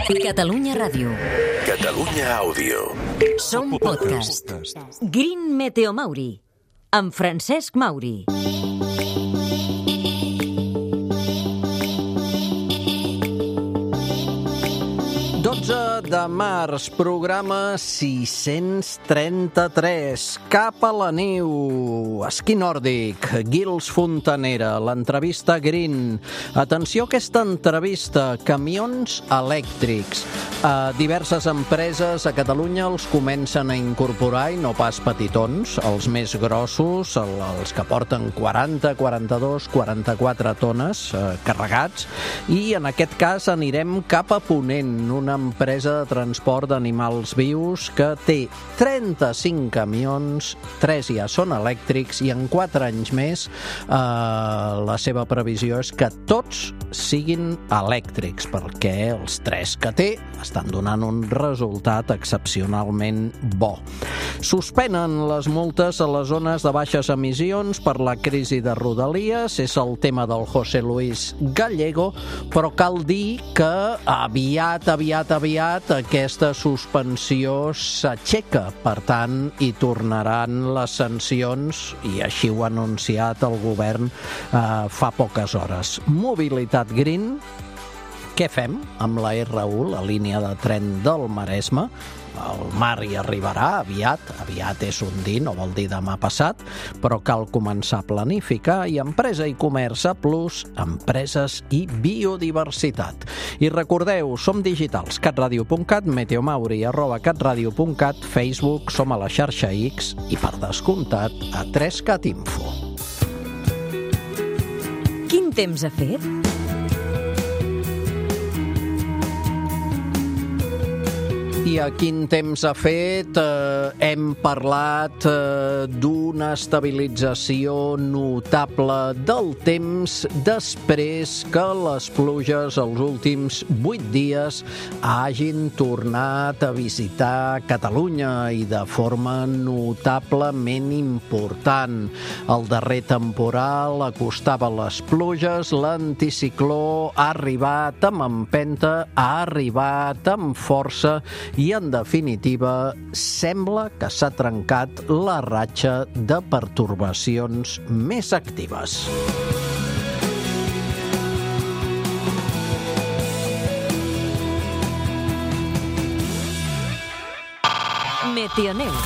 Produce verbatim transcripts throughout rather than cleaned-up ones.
Catalunya Ràdio. Catalunya Àudio. Som podcast. Green Meteo Mauri, amb Francesc Mauri. dotze de març, programa sis-cents trenta-tres. Cap a la neu, esquí nòrdic, Guils Fontanera, l'entrevista Green. Atenció a aquesta entrevista, camions elèctrics. Uh, diverses empreses a Catalunya els comencen a incorporar, i no pas petitons, els més grossos, el, els que porten quaranta, quaranta-dos, quaranta-quatre tones uh, carregats, i en aquest cas anirem cap a Ponent, una empresa de transport d'animals vius que té trenta-cinc camions, tres ja són elèctrics, i en quatre anys més eh, la seva previsió és que tots siguin elèctrics, perquè els tres que té estan donant un resultat excepcionalment bo. Suspenen les multes a les zones de baixes emissions per la crisi de Rodalies, és el tema del José Luis Gallego, però cal dir que aviat, aviat, aviat aquesta suspensió s'aixeca, per tant hi tornaran les sancions, i així ho ha anunciat el govern eh, fa poques hores. Mobilitat Green, què fem amb la erre u, la línia de tren del Maresme? El mar hi arribarà aviat, aviat és un dir, no vol dir demà passat, però cal començar a planificar, i Empresa i Comerç A plus, empreses i biodiversitat. I recordeu, som digitals, catradio punt cat, meteomauri arroba catradio punt cat, Facebook, som a la xarxa X i, per descomptat, a tres cat info. Quin temps ha fet? I a quin temps ha fet? Eh, hem parlat eh, d'una estabilització notable del temps després que les pluges els últims vuit dies hagin tornat a visitar Catalunya, i de forma notablement important. El darrer temporal acostava les pluges, l'anticicló ha arribat amb empenta, ha arribat amb força, i, en definitiva, sembla que s'ha trencat la ratxa de pertorbacions més actives. Meteoneu.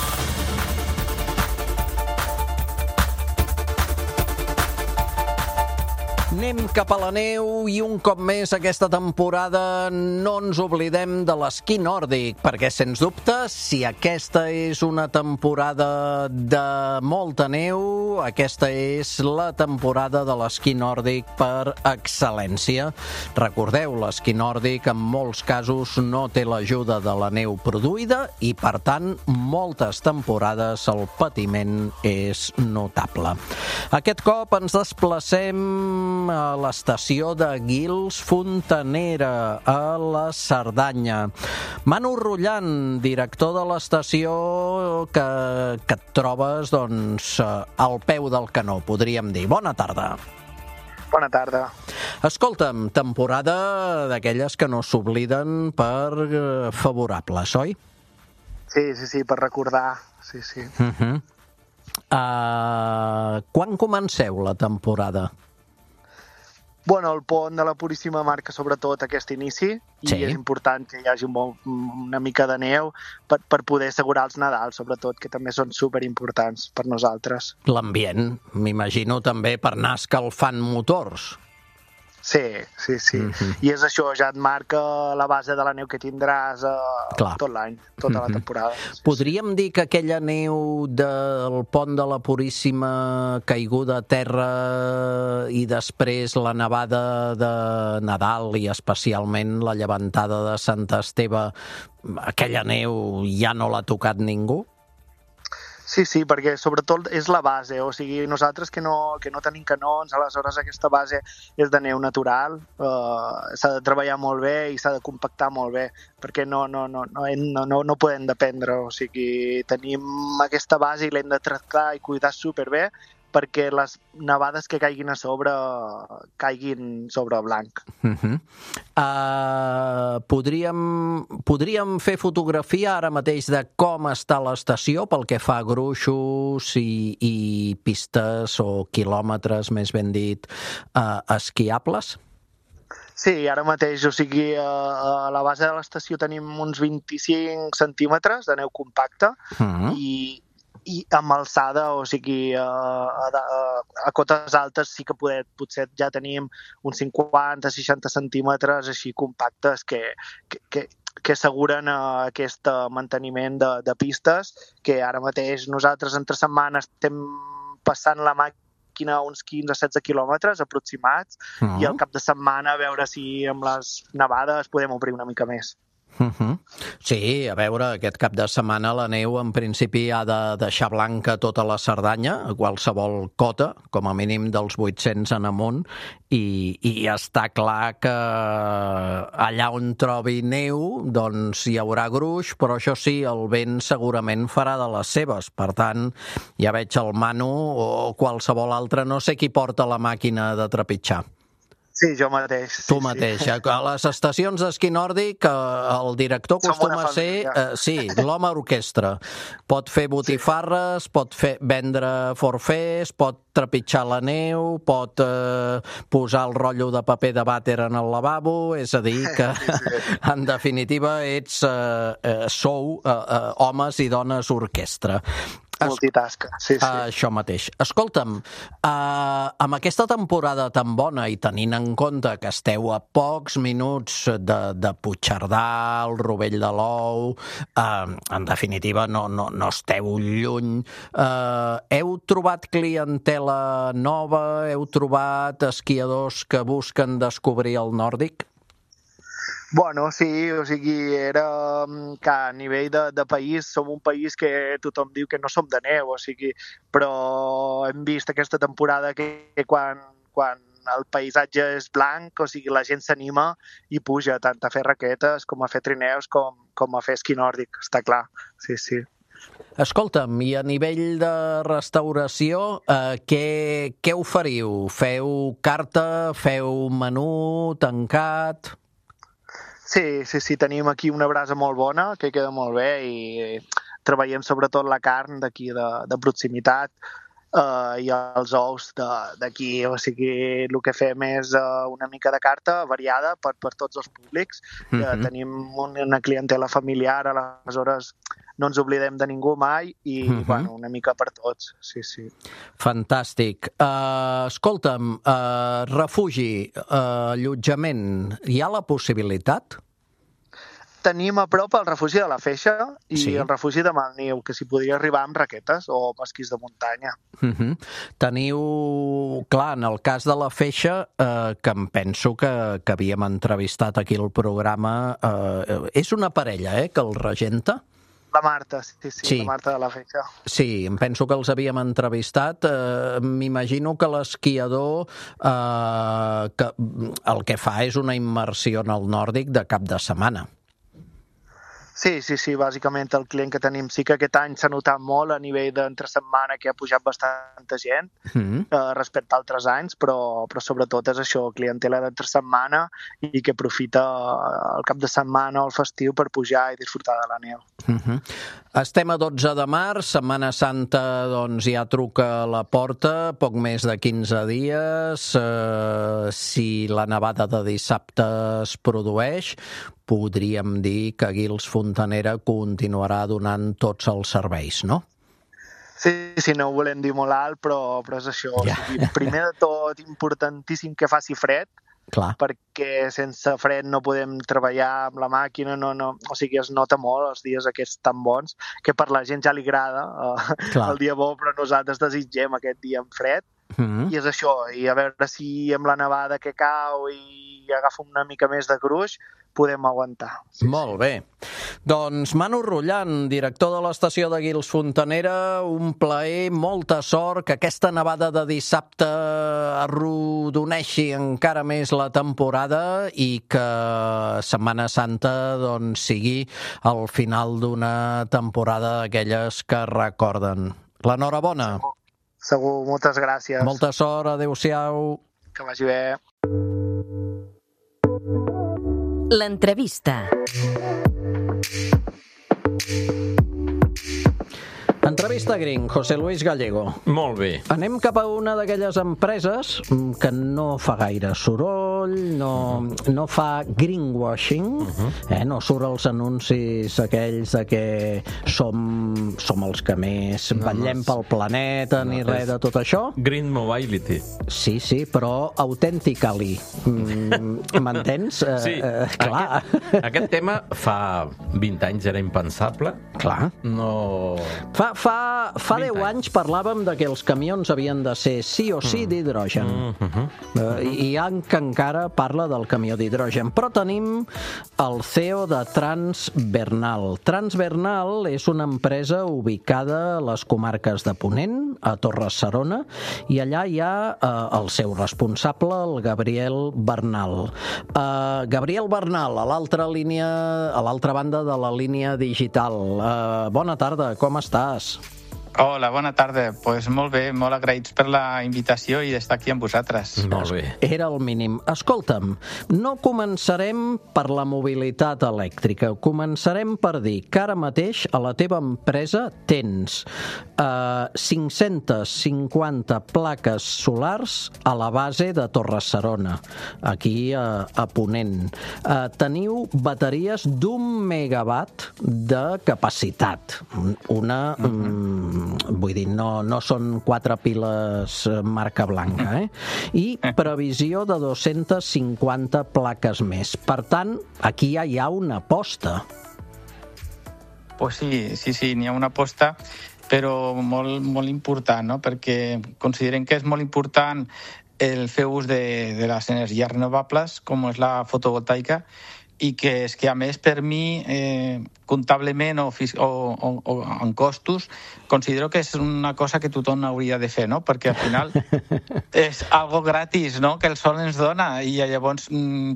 Anem cap a la neu, i un cop més aquesta temporada no ens oblidem de l'esquí nòrdic, perquè, sens dubte, si aquesta és una temporada de molta neu, aquesta és la temporada de l'esquí nòrdic per excel·lència. Recordeu, l'esquí nòrdic en molts casos no té l'ajuda de la neu produïda, i, per tant, moltes temporades el patiment és notable. Aquest cop ens desplacem a l'estació de Guils Fontanera, a la Cerdanya. Manu Rullant, director de l'estació, que, que et trobes doncs, al peu del canó, podríem dir. Bona tarda. Bona tarda. Escolta'm, temporada d'aquelles que no s'obliden per favorables, oi? Sí, sí, sí, per recordar. Sí, sí. Uh-huh. Uh, quan comenceu la temporada? Bueno, el pont de la Puríssima Marca, sobretot aquest inici, i sí. És important que hi hagi un bon, una mica de neu per, per poder assegurar els Nadals, sobretot, que també són superimportants per nosaltres. L'ambient, m'imagino també per anar escalfant motors. Sí, sí, sí. Mm-hmm. I és això, ja et marca la base de la neu que tindràs eh, tot l'any, tota mm-hmm. la temporada. Sí, Podríem sí. dir que aquella neu del pont de la Puríssima, caiguda a terra, i després la nevada de Nadal, i especialment la llevantada de Sant Esteve, aquella neu ja no l'ha tocat ningú? Sí, sí, perquè sobretot és la base, o sigui, nosaltres que no, que no tenim canons, aleshores aquesta base és de neu natural, eh, s'ha de treballar molt bé i s'ha de compactar molt bé, perquè no, no, no, no, no, no podem dependre, o sigui, tenim aquesta base i l'hem de tractar i cuidar superbé perquè les nevades que caiguin a sobre caiguin sobre blanc. Uh-huh. Uh, podríem, podríem fer fotografia ara mateix de com està l'estació pel que fa a gruixos i, i pistes o quilòmetres, més ben dit, uh, esquiables? Sí, ara mateix, o sigui, a la base de l'estació tenim uns vint-i-cinc centímetres de neu compacta uh-huh. i, i amb alçada, o sigui, a, a, a cotes altes sí que poder, potser ja tenim uns cinquanta seixanta centímetres així compactes que, que, que, que asseguren aquest manteniment de, de pistes, que ara mateix nosaltres entre setmana estem passant la màquina a uns quinze a setze quilòmetres aproximats uh-huh. i al cap de setmana a veure si amb les nevades podem obrir una mica més. Uh-huh. Sí, a veure, aquest cap de setmana la neu en principi ha de deixar blanca tota la Cerdanya, a qualsevol cota, com a mínim dels vuit-cents en amunt, i, i està clar que allà on trobi neu doncs hi haurà gruix, però això sí, el vent segurament farà de les seves. Per tant, ja veig el Manu o qualsevol altre, no sé qui porta la màquina de trepitjar. Sí, jo mateix. Sí, tu mateix. Sí. A les estacions d'esquí nòrdic el director acostuma a ser eh, sí, l'home orquestra. Pot fer botifarres, sí. pot fer, vendre forfers, pot trepitjar la neu, pot eh, posar el rotllo de paper de vàter en el lavabo, és a dir que sí, sí. en definitiva ets eh, eh, sou eh, eh, homes i dones orquestra. Multitasca, sí, sí. Això mateix. Escolta'm, uh, amb aquesta temporada tan bona i tenint en compte que esteu a pocs minuts de, de Puigcerdà, el Rovell de l'Ou, uh, en definitiva no, no, no esteu lluny, uh, heu trobat clientela nova, heu trobat esquiadors que busquen descobrir el nòrdic? Bueno, sí, o sigui, era que a nivell de, de país som un país que tothom diu que no som de neu, o sigui, però hem vist aquesta temporada que, que quan, quan el paisatge és blanc, o sigui, la gent s'anima i puja tant a fer raquetes com a fer trineus com, com a fer esquí nòrdic, està clar, sí, sí. Escolta'm, i a nivell de restauració, eh, què, què oferiu? Feu carta, feu menú, tancat? Sí, sí, sí, tenim aquí una brasa molt bona, que queda molt bé, i treballem sobretot la carn d'aquí de, de proximitat uh, i els ous d'aquí. O sigui, el que fem és uh, una mica de carta variada per, per tots els públics. Mm-hmm. uh, tenim una clientela familiar, aleshores no ens oblidem de ningú mai i, mm-hmm. bueno, una mica per tots, sí, sí. Fantàstic. Uh, escolta'm, uh, refugi, uh, allotjament, hi ha la possibilitat? Tenim a prop el refugi de la Feixa i sí. el refugi de Malniu, que s'hi podria arribar amb raquetes o amb esquís de muntanya. Uh-huh. Teniu, clar, en el cas de la Feixa, eh, que em penso que, que havíem entrevistat aquí al programa, eh, és una parella, eh, que el regenta? La Marta, sí, sí, sí, la Marta de la Feixa. Sí, em penso que els havíem entrevistat. Eh, m'imagino que l'esquiador eh, que el que fa és una immersió en el nòrdic de cap de setmana. Sí, sí, sí, bàsicament el client que tenim sí que aquest any s'ha notat molt a nivell d'entre setmana que ha pujat bastanta gent mm. eh, respecte a altres anys, però, però sobretot és això, clientela d'entre setmana i que aprofita el cap de setmana o el festiu per pujar i disfrutar de la neu. Mm-hmm. Estem a dotze de març, Setmana Santa doncs ja truca a la porta, poc més de quinze dies, eh, si la nevada de dissabte es produeix, podríem dir que Guils Fontanera continuarà donant tots els serveis, no? Sí, sí, no ho volem dir molt alt, però, però és això. Ja. O sigui, primer de tot, importantíssim que faci fred, clar. Perquè sense fred no podem treballar amb la màquina, no, no, o sigui, es nota molt els dies aquests tan bons, que per la gent ja li agrada uh, el dia bo, però nosaltres desitgem aquest dia amb fred, mm-hmm. i és això, i a veure si amb la nevada que cau i agafa una mica més de gruix, podem aguantar. Sí, molt sí. bé. Doncs Manu Rullan, director de l'estació de Guils Fontanera, un plaer, molta sort, que aquesta nevada de dissabte arrodoneixi encara més la temporada i que Setmana Santa doncs, sigui el final d'una temporada d'aquelles que recorden. L'enhorabona. Segur, moltes gràcies. Molta sort, adéu-siau. Que vagi bé. L'entrevista. Entrevista Green, José Luis Gallego. Molt bé. Anem cap a una d'aquelles empreses que no fa gaire soroll, no, no fa greenwashing, uh-huh. eh, no surt els anuncis aquells de que som, som els que més no, vetllem no, pel planeta, no, ni res de tot això. Green Mobility. Sí, sí, però authentically. Mm, m'entens? Sí. Eh, eh, clar. Aquest, aquest tema fa vint anys era impensable. Clar. No... Fa, fa, fa deu anys parlàvem de que els camions havien de ser sí o sí d'hidrogen. Mm -hmm. uh, I hi ha que encara parla del camió d'hidrogen. Però tenim el C E O de Transbernal. Transbernal és una empresa ubicada a les comarques de Ponent, a Torre-serona, i allà hi ha uh, el seu responsable, el Gabriel Bernal. Uh, Gabriel Bernal, a l'altra línia, a l'altra banda de la línia digital. Uh, bona tarda, com estàs? Hola, bona tarda. Doncs pues molt bé, molt agraïts per la invitació i d'estar aquí amb vosaltres. Molt bé. Era el mínim. Escolta'm, no començarem per la mobilitat elèctrica, començarem per dir que ara mateix a la teva empresa tens uh, cinc-centes cinquanta plaques solars a la base de Torre-serona, aquí a, a Ponent. Uh, teniu bateries d'un megawatt de capacitat. Una... Uh-huh. Vull dir, no, no són quatre piles marca blanca, eh? I previsió de dos-centes cinquanta plaques més. Per tant, aquí ja hi ha una aposta. Pues sí, sí, sí, n'hi ha una aposta, però molt, molt important, no? Perquè considerem que és molt important el fer ús de, de les energies renovables, com és la fotovoltaica, i que és que, a més, per mi, eh, comptablement o, o, o, o en costos, considero que és una cosa que tothom hauria de fer, no? Perquè al final és algo gratis, no?, que el sol ens dona, i llavors,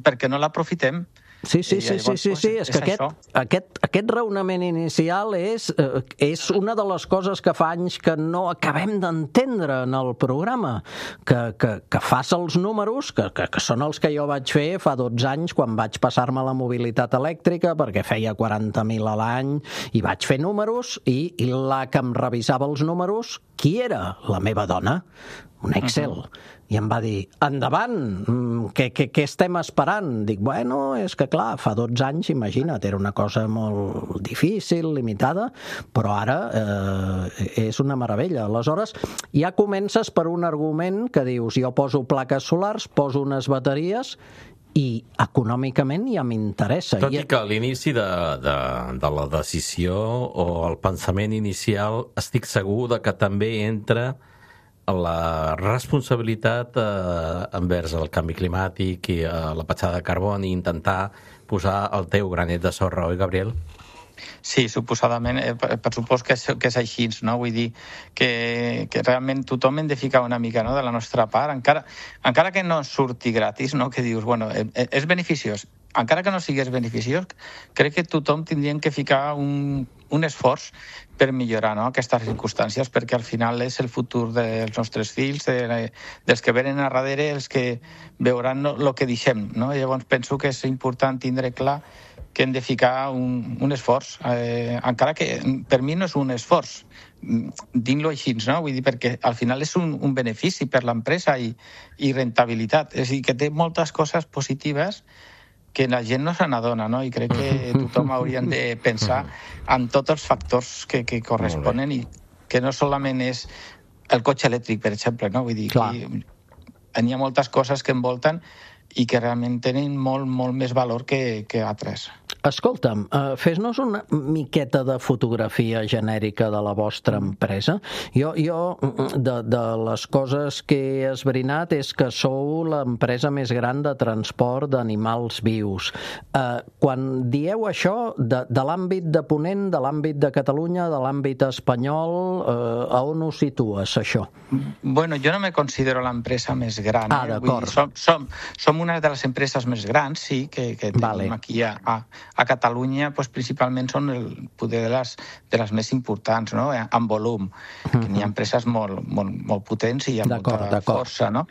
per què no l'aprofitem? Sí, sí, sí, sí, sí, sí. És que aquest, aquest, aquest raonament inicial és, eh, és una de les coses que fa anys que no acabem d'entendre en el programa, que, que, que fas els números, que, que, que són els que jo vaig fer fa dotze anys quan vaig passar-me la mobilitat elèctrica, perquè feia quaranta mil a l'any, i vaig fer números, i, i la que em revisava els números, qui era? La meva dona. Un Excel. Uh-huh. I em va dir, endavant, què, què, què estem esperant? Dic, bueno, és que clar, fa dotze anys, imagina't, era una cosa molt difícil, limitada, però ara eh, és una meravella. Aleshores, ja comences per un argument que dius, jo poso plaques solars, poso unes bateries, i econòmicament ja m'interessa. Tot i que a l'inici de, de, de la decisió o el pensament inicial estic segur de que també entra la responsabilitat eh, envers el canvi climàtic i eh, la petjada de carboni i intentar posar el teu granet de sorra, oi, Gabriel? Sí, suposadament, eh, per supòs que és, que és així, no? Vull dir que, que realment tothom hem de ficar una mica, no?, de la nostra part, encara, encara que no surti gratis, no?, que dius, bueno, és beneficiós, encara que no sigués beneficiós, crec que tothom tindríem que ficar un, un esforç per millorar, no?, aquestes circumstàncies, perquè al final és el futur dels nostres fills, de, dels que venen a darrere, els que veuran el que deixem, no? Llavors penso que és important tindre clar que hem de ficar un, un esforç, eh, encara que per mi no és un esforç, dint-lo així, no? Vull dir, perquè al final és un, un benefici per l'empresa i, i rentabilitat, és a dir, que té moltes coses positives que la gent no se n'adona, no? I crec que tothom hauríem de pensar en tots els factors que, que corresponen i que no solament és el cotxe elèctric, per exemple, no? Vull dir, que hi ha moltes coses que envolten i que realment tenen molt, molt més valor que, que altres. Escolta'm, uh, fes-nos una miqueta de fotografia genèrica de la vostra empresa. Jo, jo de, de les coses que he esbrinat és que sou l'empresa més gran de transport d'animals vius. Uh, quan dieu això, de, de l'àmbit de Ponent, de l'àmbit de Catalunya, de l'àmbit espanyol, uh, a on ho situes, això? Bueno, jo no me considero l'empresa més gran. Ah, eh? d'acord. Som, som, som una de les empreses més grans, sí, que, que tenim vale. aquí a, a, a Catalunya pues, principalment són el poder de les, de les més importants, no? En volum, que n'hi ha empreses molt, molt, molt potents i amb molta força, no?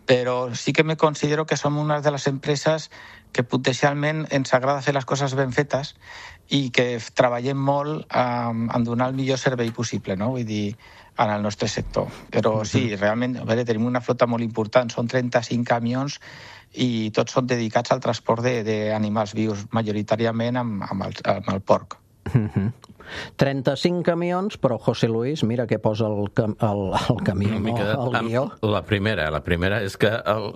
Però sí que me considero que som una de les empreses que potencialment ens agrada fer les coses ben fetes i que treballem molt um, en donar el millor servei possible, no? Vull dir, en el nostre sector. Però sí, realment, a veure, tenim una flota molt important, són trenta-cinc camions i tots són dedicats al transport d'animals vius, majoritàriament amb, amb, el, amb el porc. Uh-huh. trenta-cinc camions, però José Luis, mira què posa el, cam el, el camió, no, el guió. La primera, la primera és que el,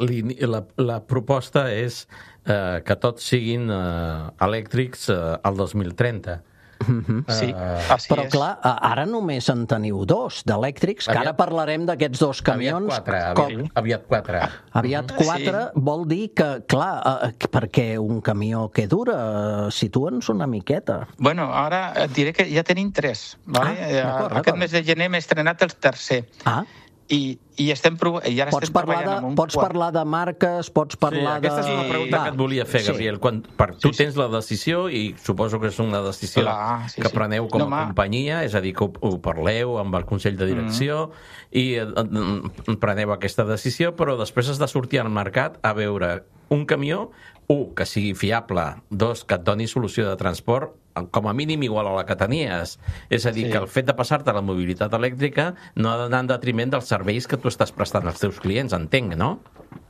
la, la proposta és eh, que tots siguin eh, elèctrics eh, al dos mil trenta. Uh-huh. Sí, uh, però és. Clar, ara només en teniu dos d'elèctrics, que ara parlarem d'aquests dos camions. Aviat quatre, com... aviat quatre. Aviat quatre sí. Vol dir que, clar, uh, perquè un camió que dura, uh, situa'ns una miqueta. Bueno, ara et diré que ja tenim tres. Vale? Ah, aquest mes de gener m'he estrenat el tercer. Ah. I, i estem prov... I ara pots estem parlar de, amb un pots quart. parlar de marques, pots parlar sí, aquesta de... és una pregunta Va. que et volia fer, Gabriel. Sí. Quan, per, tu sí, tens la decisió i suposo que és una decisió Clar, sí, que preneu com a no, companyia, és a dir, que ho, ho parleu amb el Consell de Direcció mm. i eh, preneu aquesta decisió, però després has de sortir al mercat a veure un camió, un, que sigui fiable, dos, que et doni solució de transport com a mínim igual a la que tenies. És a dir, sí. que el fet de passar-te a la mobilitat elèctrica no ha d'anar en detriment dels serveis que tu estàs prestant als teus clients, entenc, no?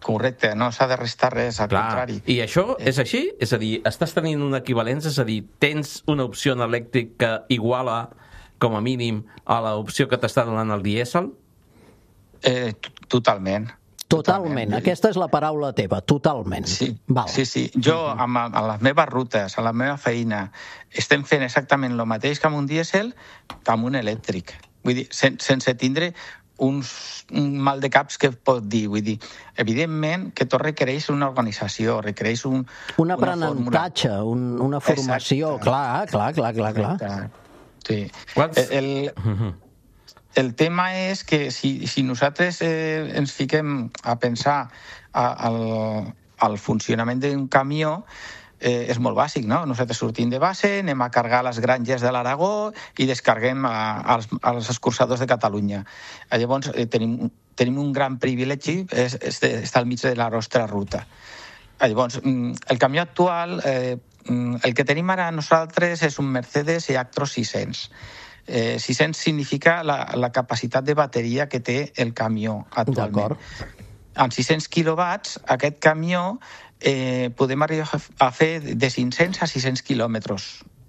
Correcte, no s'ha de restar res, al Clar. contrari. I això és així? És a dir, estàs tenint una equivalència, és a dir, tens una opció en elèctric que iguala, com a mínim, a l'opció que t'està donant el dièsel? Eh, totalment. Totalment, aquesta és la paraula teva, totalment. Sí, Val. sí, sí. Jo, amb, amb les meves rutes, a la meva feina, estem fent exactament el mateix que amb un dièsel que amb un elèctric. Vull dir, sen, sense tindre uns, un mal de caps que pot dir. Vull dir, evidentment que tot requereix una organització, requereix un, un aprenentatge, un, una formació. Exacte. Clar, clar, clar, clar, clar. Sí. Quants... El... el El tema és que si, si nosaltres eh, ens fiquem a pensar a, al, al funcionament d'un camió, eh, és molt bàsic, no? Nosaltres sortim de base, anem a cargar les granges de l'Aragó i descarguem a, als, als escurçadors de Catalunya. Llavors, eh, tenim, tenim un gran privilegi, és, és de, està al mig de la nostra ruta. Llavors, el camió actual, eh, el que tenim ara nosaltres és un Mercedes E-Actros sis-cents. Eh, sis-cents significa la, la capacitat de bateria que té el camió actualment. Amb sis-cents quilowatts, aquest camió eh, podem arribar a fer de cinc-cents a sis-cents quilòmetres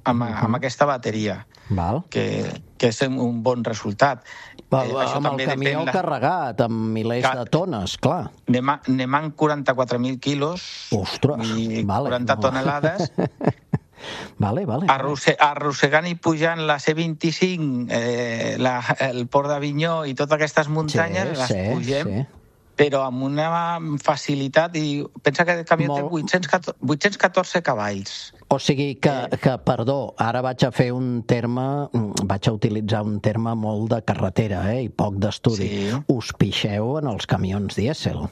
amb, uh-huh. amb aquesta bateria, Val. Que, que és un bon resultat. Val, eh, amb el camió la... carregat, amb milers Car... de tones, clar. Anem, a, anem amb quaranta-quatre mil quilos Ostres, i vale, quaranta no. tonelades. Vale, vale. Arrosse, arrossegant i pujant la C vint-i-cinc, eh, la, el Port d'Avinyó i totes aquestes muntanyes, sí, les sí, pugem, sí. però amb una facilitat, i pensa que el camió Molt... té vuit-cents catorze cavalls. O sigui que, que, perdó, ara vaig a fer un terme, vaig a utilitzar un terme molt de carretera, eh, i poc d'estudi. Sí. Us pixeu en els camions dièsel.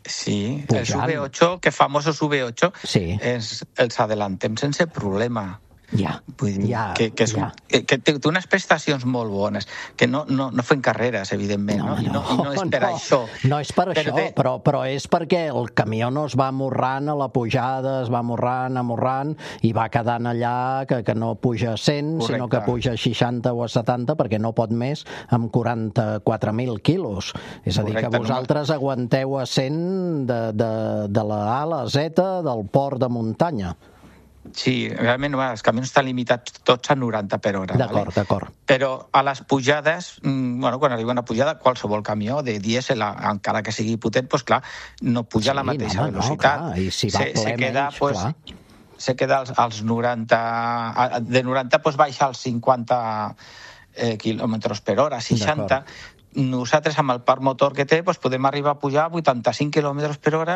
Sí, Pujant. els U V ocho, que famosos U V ocho, sí. és, els adelantem sense problema. Ja, Vull dir, ja, que, que, és, ja. que, que té unes prestacions molt bones, que no, no, no fem carreres, evidentment, no, no, no, I no, no és per no, això. No és per això, de... però, però és perquè el camió no es va amorrant a la pujada, es va amorrant, amorrant, i va quedant allà que, que no puja a cent, Correcte. Sinó que puja a seixanta o a setanta, perquè no pot més amb quaranta-quatre mil quilos. És a dir, Correcte, que vosaltres no... aguanteu a cent de, de, de la A a la Z del port de muntanya. Sí, realment els camions estan limitats tots a noranta per hora. D'acord, vale? d'acord. Però a les pujades, bueno, quan arriba una pujada, qualsevol camió de dièsel, encara que sigui potent, doncs clar, no puja sí, a la mateixa no, velocitat. No, clar. I si va se, ple se queda, menys, pues, clar. Se queda als, als noranta... De noranta pues, baixa als cinquanta eh, quilòmetres per hora, seixanta. Nosaltres, amb el parc motor que té, doncs podem arribar a pujar a vuitanta-cinc quilòmetres per hora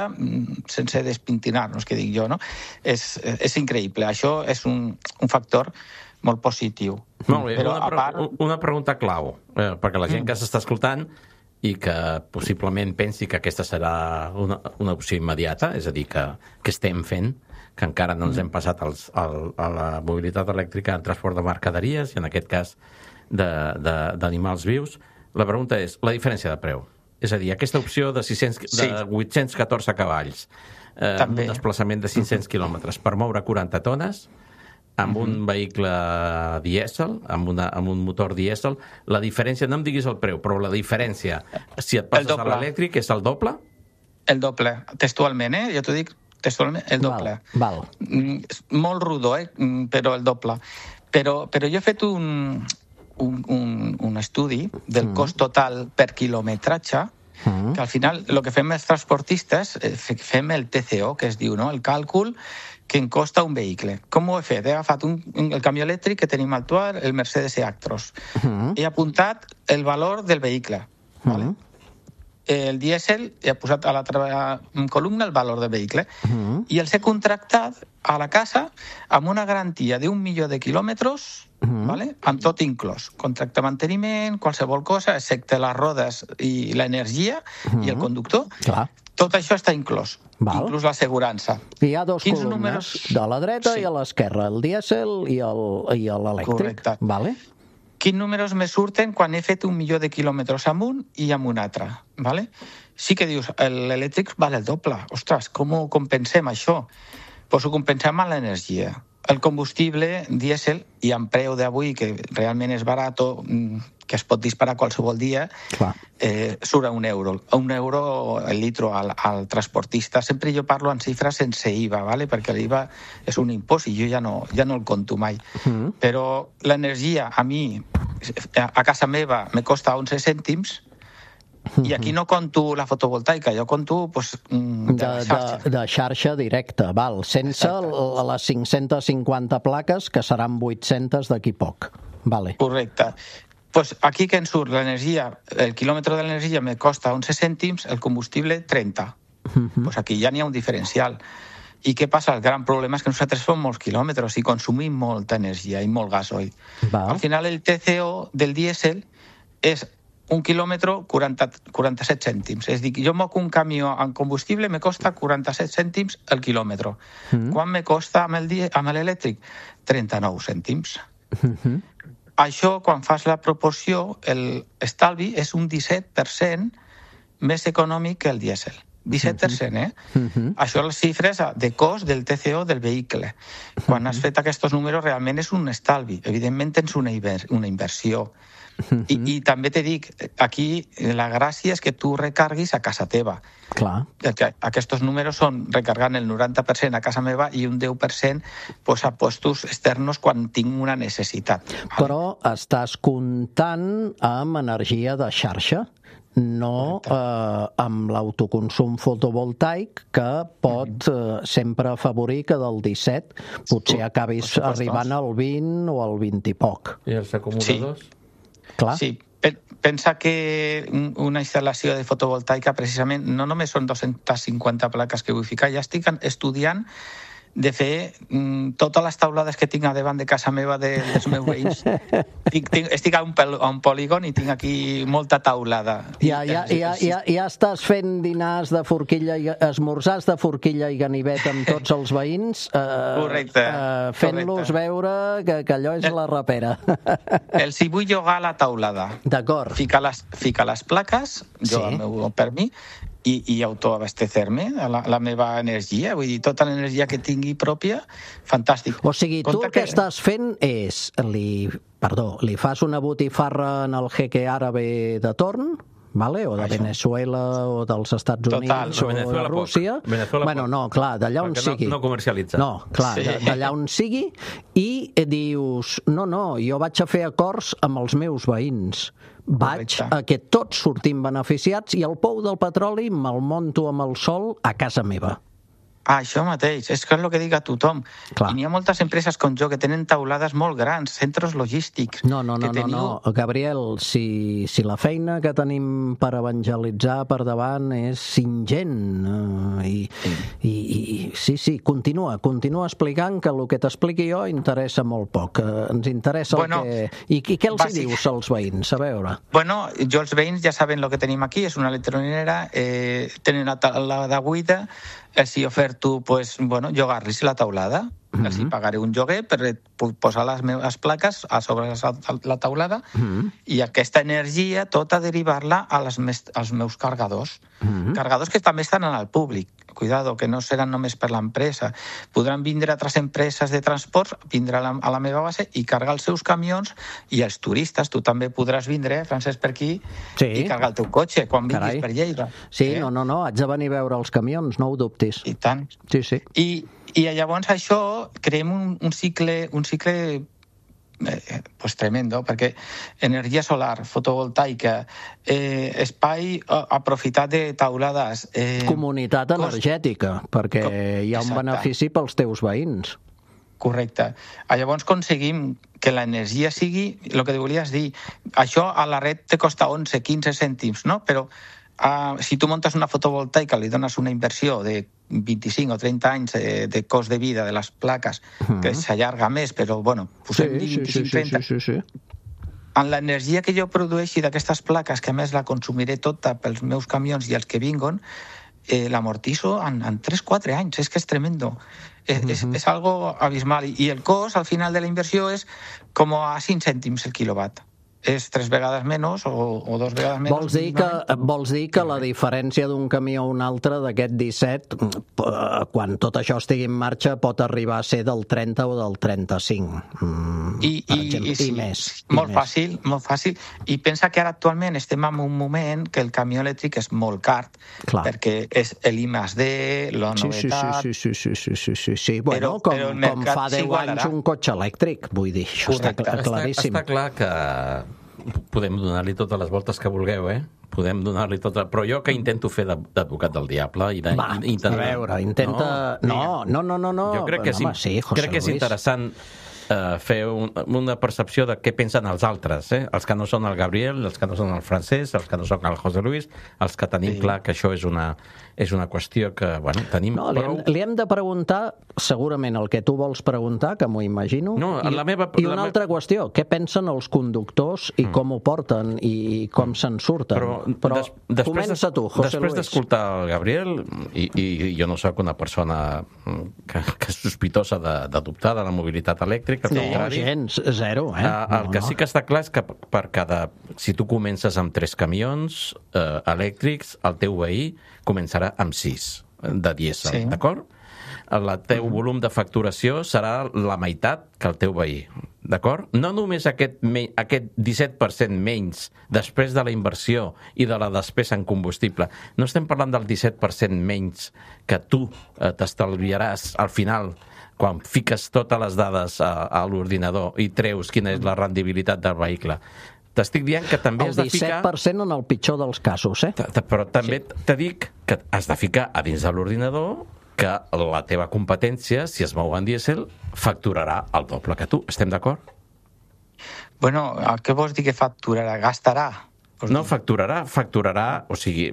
sense despintinar-nos, que dic jo, no? És, és increïble. Això és un, un factor molt positiu. Molt bé, Però, una, pre part... una pregunta clau, eh, perquè la gent mm. que s'està escoltant i que possiblement pensi que aquesta serà una, una opció immediata, és a dir, que, que estem fent, que encara no ens hem passat als, al, a la mobilitat elèctrica en transport de mercaderies i en aquest cas d'animals vius. La pregunta és la diferència de preu. És a dir, aquesta opció de, sis cents, sí. de vuit-cents catorze cavalls, eh, un desplaçament de cinc-cents quilòmetres per moure quaranta tones, amb un uh-huh. vehicle dièsel, amb, una, amb un motor dièsel, la diferència, no em diguis el preu, però la diferència, si et passes a l'elèctric, és el doble? El doble, textualment, eh? Jo t'ho dic textualment, el doble. Val, val. Mm, molt rodó, eh? Però el doble. Però, però jo he fet un, un, un, un estudi del mm. cost total per quilometratge, mm. que al final el que fem els transportistes, fem el T C O, que es diu, no? El càlcul que em costa un vehicle. Com ho he fet? He agafat un, el camió elèctric que tenim actual, el Mercedes E-Actros. Uh-huh. He apuntat el valor del vehicle. Uh-huh. ¿Vale? El dièsel, he posat a l'altra columna el valor del vehicle. Uh-huh. I els he contractat a la casa amb una garantia d'un milió de quilòmetres, uh-huh. ¿vale? Amb tot inclòs. Contracte de manteniment, qualsevol cosa, excepte les rodes i l'energia uh-huh. i el conductor. Clar. Tot això està inclòs. Val. Inclús l'assegurança. Hi ha dos Quins columnes, números... de la dreta sí. i a l'esquerra, el dièsel i l'elèctric. Correcte. Vale. Quins números me surten quan he fet un milió de quilòmetres amb un i amb un altre? Vale? Sí que dius, l'elèctric val el doble. Ostres, com ho compensem, això? Pues ho compensem amb l'energia. El combustible dièsel, i amb preu d'avui, que realment és barat, que es pot disparar qualsevol dia, eh, surt a un euro. A un euro el litro al, al transportista. Sempre jo parlo en xifres sense I V A, ¿vale? Perquè l'I V A és un impost i jo ja no, ja no el conto mai. Mm. Però l'energia, a mi, a casa meva, me costa onze cèntims, i aquí no conto la fotovoltaica, jo conto pues, de, de, xarxa. De, de xarxa directa, val, sense l- les cinc-centes cinquanta plaques, que seran vuit-centes d'aquí poc. Vale. Correcte. Pues aquí que en surt l'energia, el quilòmetre de l'energia me costa onze cèntims, el combustible trenta. Uh-huh. Pues aquí ja n'hi ha un diferencial. I què passa? El gran problema és que nosaltres fem molts quilòmetres i consumim molta energia i molt gasoil. Va. Al final el T C O del dièsel és un quilòmetre, quaranta, quaranta-set cèntims. És a dir, jo moc un camió en combustible me costa quaranta-set cèntims el quilòmetre. Mm. Quan me costa amb el die- amb l'elèctric? trenta-nou cèntims. Mm-hmm. Això, quan fas la proporció, l'estalvi és un disset per cent més econòmic que el dièsel. disset per cent, eh? Mm-hmm. Això les xifres de cost del T C O del vehicle. Quan mm-hmm. has fet aquests números, realment és un estalvi. Evidentment tens una, inver- una inversió. I, I també te dic, aquí la gràcia és que tu recarguis a casa teva. Clar. Aquests números són recargant el noranta per cent a casa meva i un deu per cent pues, a postos externos quan tinc una necessitat. Però estàs comptant amb energia de xarxa, no eh, amb l'autoconsum fotovoltaic, que pot eh, sempre afavorir que del disset potser acabis arribant al vint o al vint i poc. I els acumuladors? Sí. Clar. Sí, pensa que una instal·lació de fotovoltaica precisament no només són dos-centes cinquanta plaques que vull ficar, ja estic estudiant de fer mm, totes les taulades que tinc a davant de casa meva de, dels meus veïns. Tinc, tinc, estic a un, a un polígon i tinc aquí molta taulada. Ja, ja, ja, ja, ja estàs fent dinars de forquilla, i esmorzars de forquilla i ganivet amb tots els veïns, eh, correcte, eh, fent-los veure que, que allò és el, la rapera. Els hi vull llogar a la taulada. D'acord. Ficar les, ficar les plaques, jo sí. el meu per mi, i, i autoabastecer-me a la, la meva energia, vull dir, tota l'energia que tingui pròpia, fantàstic. O sigui, tu Compte el que, que estàs fent és, li, perdó, li fas una botifarra en el jeque àrabe de torn, vale? O de Això. Venezuela o dels Estats Units Total. o de Rússia. Bueno, no, clar, d'allà on Perquè sigui. No, no comercialitza. No, clar, sí. d'allà on sigui, i dius, no, no, jo vaig a fer acords amb els meus veïns. Vaig Correcte. a que tots sortim beneficiats i el pou del petroli me'l monto amb el sol a casa meva. Ah, això mateix, és que és el que dic a tothom. Clar. I n'hi ha moltes empreses com jo que tenen taulades molt grans, centres logístics. No, no, no, teniu... no, no, Gabriel, si, si la feina que tenim per evangelitzar per davant és ingent, uh, i, sí. I, i sí, sí, continua, continua explicant que el que t'expliqui jo interessa molt poc. Uh, ens interessa bueno, el que... I, i què els bàsic... hi dius als veïns? A veure. Bueno, jo els veïns ja saben el que tenim aquí, és una electrolinera, eh, tenen la taulada buida, els hi oferta tu pues, bueno, llogar-los la taulada. Mm-hmm. Els hi pagaré un lloguer per posar les meves plaques a sobre la taulada mm-hmm. i aquesta energia tota derivar-la a les mes, als meus cargadors. Mm-hmm. Cargadors que també estan al públic. Cuidado, que no seran només per l'empresa. Podran vindre altres empreses de transport, vindre a la, a la meva base i cargar els seus camions i els turistes. Tu també podràs vindre, Francesc, per aquí sí. i cargar el teu cotxe quan vinguis Carai. per Lleida. Sí, eh? no, no, no, haig de venir a veure els camions, no ho dubtis. I tant. Sí, sí. I, i llavors això creem un, un cicle, un cicle Eh, pues tremendo, perquè energia solar, fotovoltaica, eh, espai eh, aprofitat de taulades... Eh, Comunitat energètica, cost... perquè Com... hi ha un Exacte. benefici pels teus veïns. Correcte. Llavors aconseguim que l'energia sigui el que volies dir. Això a la red te costa onze quinze cèntims, no? Però uh, si tu muntes una fotovoltaica li dones una inversió de vint-i-cinc o trenta anys de, de cost de vida de les plaques, uh-huh. que s'allarga més, però, bueno, posem sí, vint-i-cinc trenta. Sí, sí, sí, sí. En l'energia que jo produeixi d'aquestes plaques, que a més la consumiré tota pels meus camions i els que vinguen, eh, l'amortizo en, en tres quatre anys. És que és tremendo. És, uh-huh. és, és algo abismal. I el cost, al final de la inversió, és com a cinc cèntims el quilowatt. És tres vegades menys o, o dos vegades menys. Vols dir que, vols dir que la diferència d'un camió a un altre d'aquest disset, quan tot això estigui en marxa, pot arribar a ser del trenta o del trenta-cinc, mm, I, per i, exemple, i, sí, i més. Molt i fàcil, més. molt fàcil. I pensa que ara actualment estem en un moment que el camió elèctric és molt car, Clar. perquè és l'I més D, la novetat... Sí, sí, sí, sí, sí, sí, sí, sí. Bueno, però, com, però com fa deu anys un cotxe elèctric, vull dir, això Correcte. està claríssim. Està, està clar que podem donar-li totes les voltes que vulgueu, eh? Podem donar-li tota... Però jo que intento fer d'advocat del diable... I de, Va, intentar... a veure, intenta... No, no, no, no, no. Jo crec que, no, és, home, sí, crec que és interessant eh, fer un, una percepció de què pensen els altres, eh? Els que no són el Gabriel, els que no són el Francesc, els que no són el José Luis, els que tenim sí. clar que això és una, és una qüestió que, bueno, tenim no, li, prou... hem, li hem de preguntar segurament el que tu vols preguntar, que m'ho imagino, no, i, la meva, i una la altra me... qüestió, què pensen els conductors i mm. com ho porten i com se'n surten. Però, Però des, comença tu, José després Luis. d'escoltar el Gabriel, i, i jo no sóc una persona que, que és sospitosa d'adoptar de, de la mobilitat elèctrica, no, gens, zero, eh? Uh, el no, que no. sí que està clar és que per cada... Si tu comences amb tres camions eh, elèctrics, el teu veí començarà amb sis de dièsel, sí. d'acord? El teu mm. volum de facturació serà la meitat que el teu veí, d'acord? No només aquest, me, aquest disset per cent menys després de la inversió i de la despesa en combustible. No estem parlant del disset per cent menys que tu eh, t'estalviaràs al final quan fiques totes les dades a, a l'ordinador i treus quina és la rendibilitat del vehicle. T'estic dient que també el has de ficar... El disset per cent en el pitjor dels casos, eh? Però també sí. te dic que has de ficar a dins de l'ordinador que la teva competència, si es mou en dièsel, facturarà el doble que tu. Estem d'acord? Bueno, què vols dir que facturarà? Gastarà? No, facturarà, facturarà, o sigui,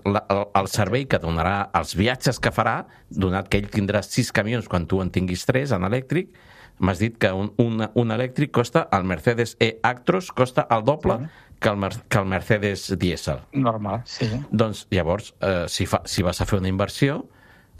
la, el, el servei que donarà, els viatges que farà, donat que ell tindrà sis camions quan tu en tinguis tres en elèctric, m'has dit que un, un, un elèctric costa, el Mercedes E-Actros costa el doble sí. que, el, que el Mercedes dièsel. Normal, sí. Doncs llavors, eh, si, fa, si vas a fer una inversió,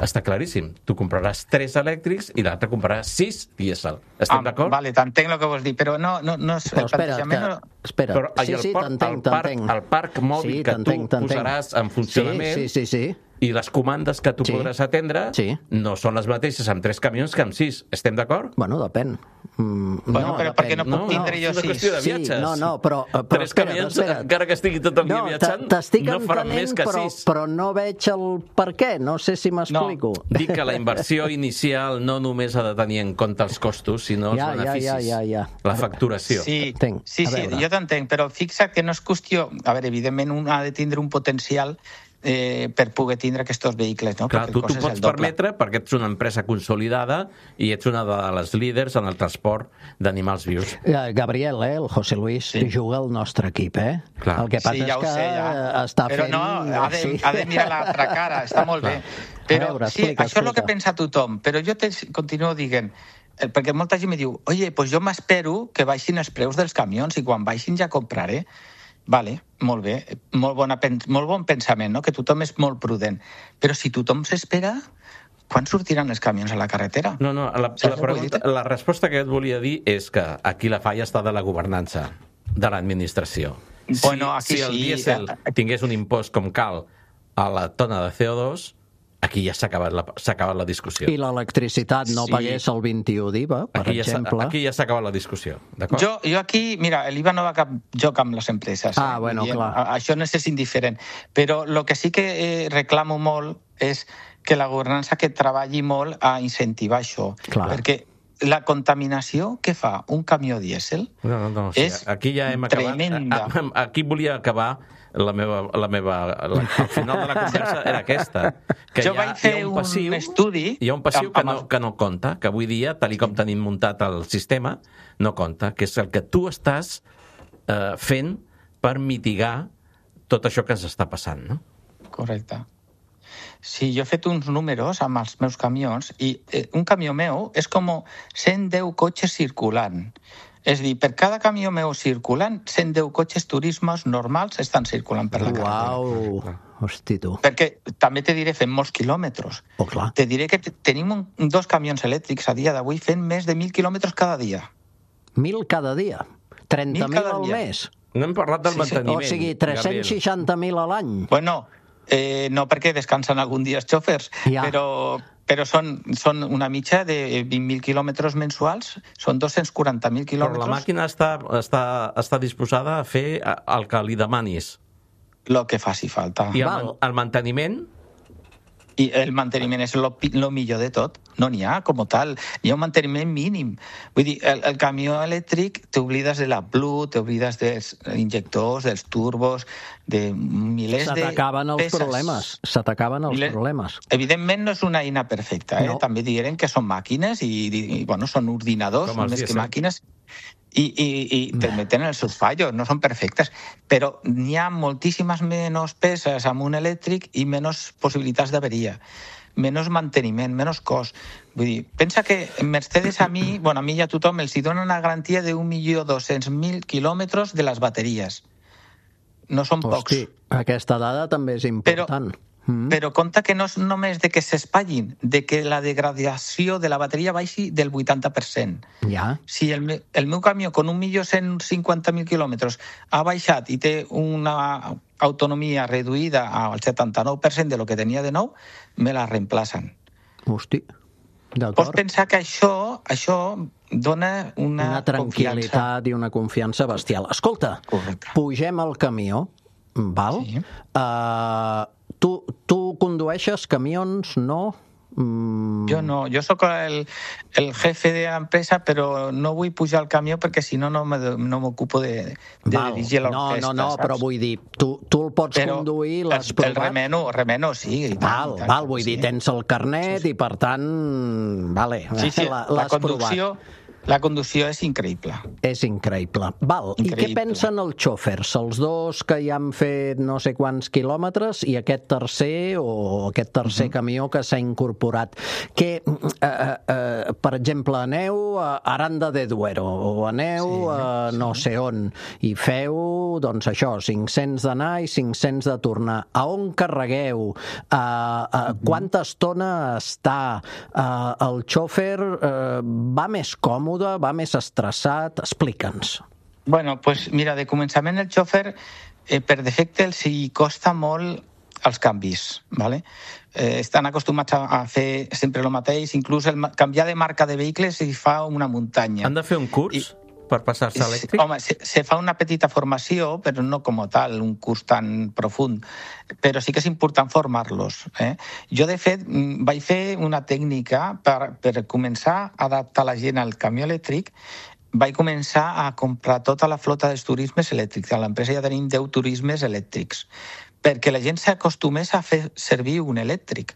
està claríssim. Tu compraràs tres elèctrics i l'altre compraràs sis dièsel. Estem ah, d'acord? Vale, t'entenc el que vols dir, però no... no, no és, però espera, que, no... espera. Però, sí, sí, t'entenc, t'entenc. El parc mòbil sí, que tu posaràs en funcionament... Sí, sí, sí, sí. I les comandes que tu sí. podràs atendre sí. no són les mateixes amb tres camions que amb sis. Estem d'acord? Bueno, depèn. Mm, bueno, no, però depèn. per què no puc no, tindre no, jo sis? sis? De viatges. Sí, no, no, però... però tres espera't, camions, espera't. encara que estigui tot el dia no, viatjant, t'estic no faran més que però, sis. Però no veig el per què, no sé si m'explico. No, dic que la inversió inicial no només ha de tenir en compte els costos, sinó els ja, beneficis. Ja, ja, ja, ja. La facturació. Sí, Tenc, sí, sí jo t'entenc, però fixa't que no és qüestió... A veure, evidentment, un ha de tindre un potencial eh, per poder tindre aquests vehicles, no? Clar, tu t'ho pots permetre perquè ets una empresa consolidada i ets una de les líders en el transport d'animals vius. Gabriel, eh, el José Luis, sí. juga al nostre equip, eh? Clar. El que passa sí, ja és que sé, ja. està però fent... Però no, ha de, sí. ha de mirar l'altra cara, està molt bé. Però veure, sí, explica, això explica. és el que pensa tothom, però jo te continuo dient, perquè molta gent me diu, oye, pues jo m'espero que baixin els preus dels camions i quan baixin ja compraré. Vale, molt bé, molt, bona, molt bon pensament, no? Que tothom és molt prudent. Però si tothom s'espera, quan sortiran els camions a la carretera? No, no, la, la, pregunta, la resposta que et volia dir és que aquí la falla està de la governança, de l'administració. Bueno, si, aquí si el sí. dièsel tingués un impost com cal a la tona de C O dos, aquí ja s'ha acabat, la, s'ha acabat la discussió. I l'electricitat no Sí. pagués el vint-i-u d'I V A, per Aquí ja, s'ha- exemple. aquí ja s'ha acabat la discussió, d'acord? Jo, jo aquí, mira, l'I V A no va cap joc amb les empreses. Ah, bueno, Vull dir, clar. a- Això no és indiferent. Però el que sí que eh, reclamo molt és que la governança que treballi molt a incentivar això. Clar. Perquè la contaminació que fa un camió dièsel No, no, no, o sigui, és aquí ja hem acabat. tremenda. A- a- Aquí volia acabar la meva, la meva, la, el final de la conversa era aquesta, que Jo hi ha, vaig fer hi ha un un passiu, estudi hi ha un passiu amb- que, amb no, els- que no compta, que avui dia, tal i com tenim muntat el sistema, no compta, que és el que tu estàs eh, fent per mitigar tot això que ens està passant, no? Correcte. Sí, jo he fet uns números amb els meus camions i eh, un camió meu és com cent deu cotxes circulant. És a dir, per cada camió meu circulant, cent deu cotxes turismes normals estan circulant per la carretera. Uau, hosti tu. Perquè també te diré, fem molts quilòmetres. Oh, clar. Te diré que te- tenim un, dos camions elèctrics a dia d'avui fent més de mil quilòmetres cada dia. Mil cada dia. trenta mil Mil cada al dia. mes. No hem parlat del Sí, sí. manteniment. O sigui, tres-cents seixanta mil a l'any. Bueno, eh, no perquè descansen algun dia els xòfers, Ja. però, però són, són una mitja de vint mil quilòmetres mensuals, són dos-cents quaranta mil Però quilòmetres. la màquina està, està, està disposada a fer el que li demanis. Lo que faci falta. I el, Val. man- el manteniment, I el manteniment és el millor de tot. No n'hi ha, com tal. Hi ha un manteniment mínim. Vull dir, el, el camió elèctric t'oblides de la Blu, t'oblides dels injectors, dels turbos, de milers Se de t'acaben els peces. problemes. Se t'acaben els Milers- problemes. Evidentment no és una eina perfecta, eh? No. També direm que són màquines i, i, i bueno, són ordinadors, Com els més que dièsel. màquines, i, i, i també tenen els seus fallos, no són perfectes, però n'hi ha moltíssimes menys peces amb un elèctric i menys possibilitats d'averia, menys manteniment, menys cost. Vull dir, pensa que Mercedes a mi, bueno, a mi i a tothom els hi dona una garantia d'un milió dos-cents mil quilòmetres de les bateries. No són pocs. Hosti, aquesta dada també és important. Mm. Però compte que no és només de que s'espatllin, de que la degradació de la bateria baixi del vuitanta per cent. Ja. Si el, me, el meu camió, con un milió cent cinquanta mil quilòmetres, ha baixat i té una autonomia reduïda al setanta-nou per cent de lo que tenia de nou, me la reemplacen. Hosti, Pots d'acord. pensar que això, això dona una, Una tranquil·litat i una confiança bestial. Escolta, Correcte. pugem al camió, val? Sí. Uh, tu, tu condueixes camions, no? Mm, Jo no, jo sóc el, el jefe de l'empresa, però no vull pujar al camió perquè si no no me- no m'ocupo de, de val. dirigir No, l'orquestra. no, no, saps? però vull dir, tu, tu el pots Però conduir, el, l'has el provat? remeno, remeno, sí. I tant, Val, i tant, val, vull dir, sí. tens el carnet i per tant, vale, Sí, sí, la- la l'has conducció, la conducció és increïble. És increïble. Val, i què Increïble. pensen els xòfers? Els dos que ja han fet no sé quants quilòmetres i aquest tercer o aquest tercer uh -huh. camió que s'ha incorporat. Que, eh, eh, eh, per exemple, aneu a Aranda de Duero o aneu Sí, a no sé on i feu, doncs això, cinc-cents d'anar i cinc-cents de tornar. A on carregueu? A, a quanta estona està? A, el xòfer eh, va més còmode, va més estressat? Explica'ns. Bueno, pues mira, de començament el xòfer, eh, per defecte, els hi costa molt els canvis, ¿vale? Eh, estan acostumats a, a fer sempre el mateix, inclús el ma- canviar de marca de vehicles hi fa una muntanya. han de fer un curs I- per passar-se a elèctric? Home, se, se fa una petita formació, però no com tal, un curs tan profund. Però sí que és important formar-los. Eh? Jo, de fet, mm, vaig fer una tècnica per, per començar a adaptar la gent al camió elèctric. Vaig començar a comprar tota la flota dels turismes elèctrics. A l'empresa ja tenim deu turismes elèctrics, perquè la gent s'acostumés a fer servir un elèctric.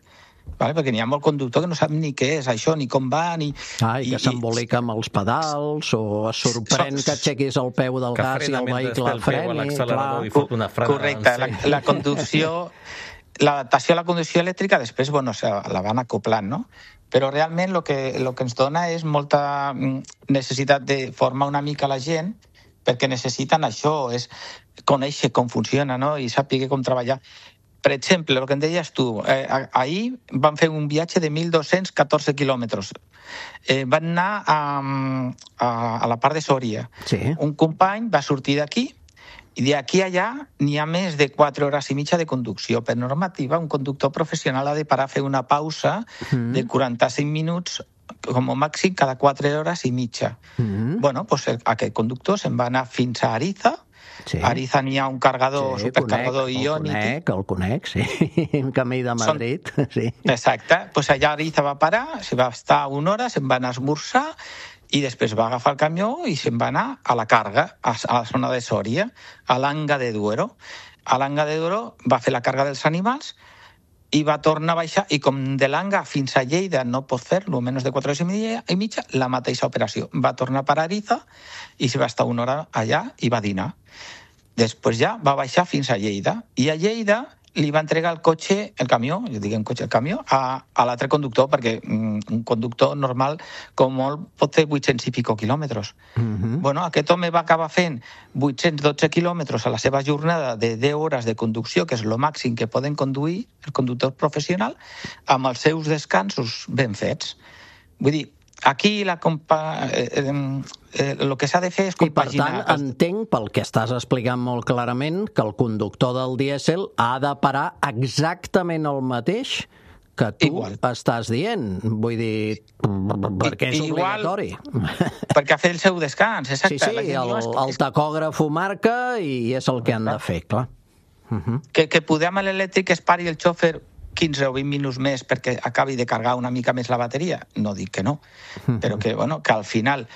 Vale? Perquè n'hi ha molt conductor que no sap ni què és això, ni com va, ni... Ah, i que s'embolica amb els pedals o es sorprèn So- que aixequis el peu del Que gas i frena el mentre vehicle té el peu a freni. l'accelerador Clar. i fot una frena. Correcte, la, la conducció, l'adaptació a la conducció elèctrica després, bueno, se la van acoplant, no? Però realment el que, lo que ens dona és molta mm, necessitat de formar una mica la gent, perquè necessiten això, és conèixer com funciona, no? I saber com treballar. per exemple, el que em deies tu, eh, ahir vam fer un viatge de mil dos-cents catorze quilòmetres. Eh, van anar a, a, a la part de Sòria. Sí. Un company va sortir d'aquí i d'aquí allà n'hi ha més de quatre hores i mitja de conducció. Per normativa, un conductor professional ha de parar a fer una pausa mm. de quaranta-cinc minuts com a màxim cada quatre hores i mitja. Mm. Bueno, pues aquest conductor se'n va anar fins a Ariza. Sí. A Ariza n'hi ha un cargador, sí, supercargador iònic. El conec, el conec, sí. Un camí de Madrid. Són... sí. Exacte. Pues allà a Ariza va parar, se va estar una hora, se'n va anar a esmorzar i després va agafar el camió i se'n va anar a la carga, a la zona de Sòria, a l'Anga de Duero. A l'Anga de Duero va fer la carga dels animals i va tornar a baixar, i com de l'Anga fins a Lleida no pot fer-lo, menys de quatre hores i mitja, la mateixa operació. Va tornar per Ariza i se va estar una hora allà i va dinar. Després ja va baixar fins a Lleida. I a Lleida li va entregar el cotxe, el camió, jo dic en cotxe, el camió, a, a l'altre conductor, perquè mm, un conductor normal, com molt, pot fer vuit-cents i pico quilòmetres. Mm-hmm. Bueno, aquest home va acabar fent vuit-cents dotze quilòmetres a la seva jornada de deu hores de conducció, que és el màxim que poden conduir el conductor professional, amb els seus descansos ben fets. Vull dir, aquí la compa... eh, eh, eh, el que s'ha de fer és compaginar... I per tant, entenc, pel que estàs explicant molt clarament, que el conductor del dièsel ha de parar exactament el mateix que tu Igual. Estàs dient. Vull dir, perquè és Igual, obligatori. Perquè ha fet el seu descans, exacte. Sí, sí, el, el tacògraf ho marca i és el que han de fer, clar. Uh-huh. Que, que poder amb l'elèctric es pari el xòfer quinze o vint minuts més perquè acabi de cargar una mica més la bateria? No dic que no, però que, bueno, que al final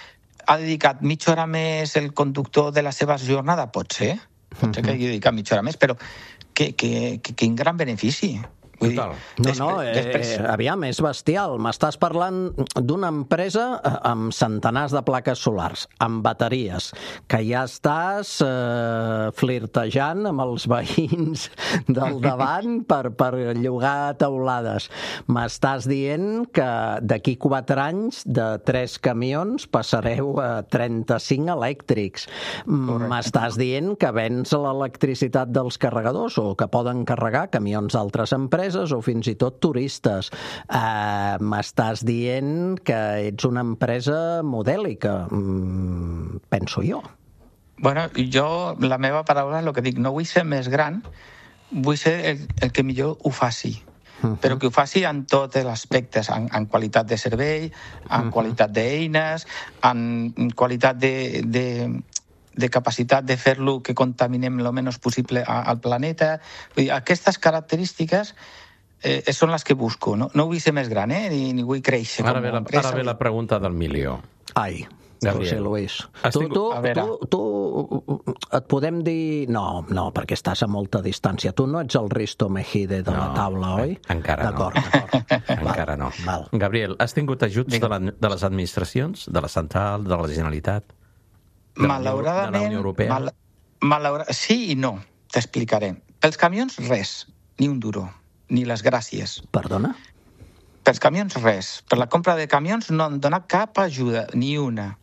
ha dedicat mitja hora més el conductor de la seva jornada? Pot ser, pot ser que hagi dedicat mitja hora més, però que, que, que, quin gran benefici. Vull dir, no, no, eh, després... aviam, és bestial. M'estàs parlant d'una empresa amb centenars de plaques solars, amb bateries, que ja estàs eh, flirtejant amb els veïns del davant per, per llogar teulades. M'estàs dient que d'aquí quatre anys de tres camions passareu a trenta-cinc elèctrics. Correcte. M'estàs dient que vens l'electricitat dels carregadors o que poden carregar camions d'altres empreses o fins i tot turistes. Uh, m'estàs dient que ets una empresa modèlica, mm, penso jo. Bueno, jo, la meva paraula, el que dic, no vull ser més gran, vull ser el, el que millor ho faci. Uh-huh. Però que ho faci en tots els aspectes, en, en qualitat de servei, en uh-huh. qualitat d'eines, en qualitat de... de de capacitat de fer-lo que contaminem el menys possible al planeta. Vull dir, aquestes característiques eh, són les que busco. No, no vull ser més gran, eh? ni, ni vull créixer. Ara ve la, ara ve la pregunta del milió. Ai, Gabriel. José Luis. Tu, tu, tu, tu et podem dir... No, no, perquè estàs a molta distància. Tu no ets el Risto Mejide de no, la taula, oi? Encara d'acord, no. D'acord. Encara no. Val. Gabriel, has tingut ajuts de, la, de les administracions, de la central, de la Generalitat? De Malauradament, de la Unió Europea? Mal, malaura... sí i no, t'explicaré. Pels camions, res, ni un duro, ni les gràcies. Perdona? Pels camions, res. Per la compra de camions no han donat cap ajuda, ni una.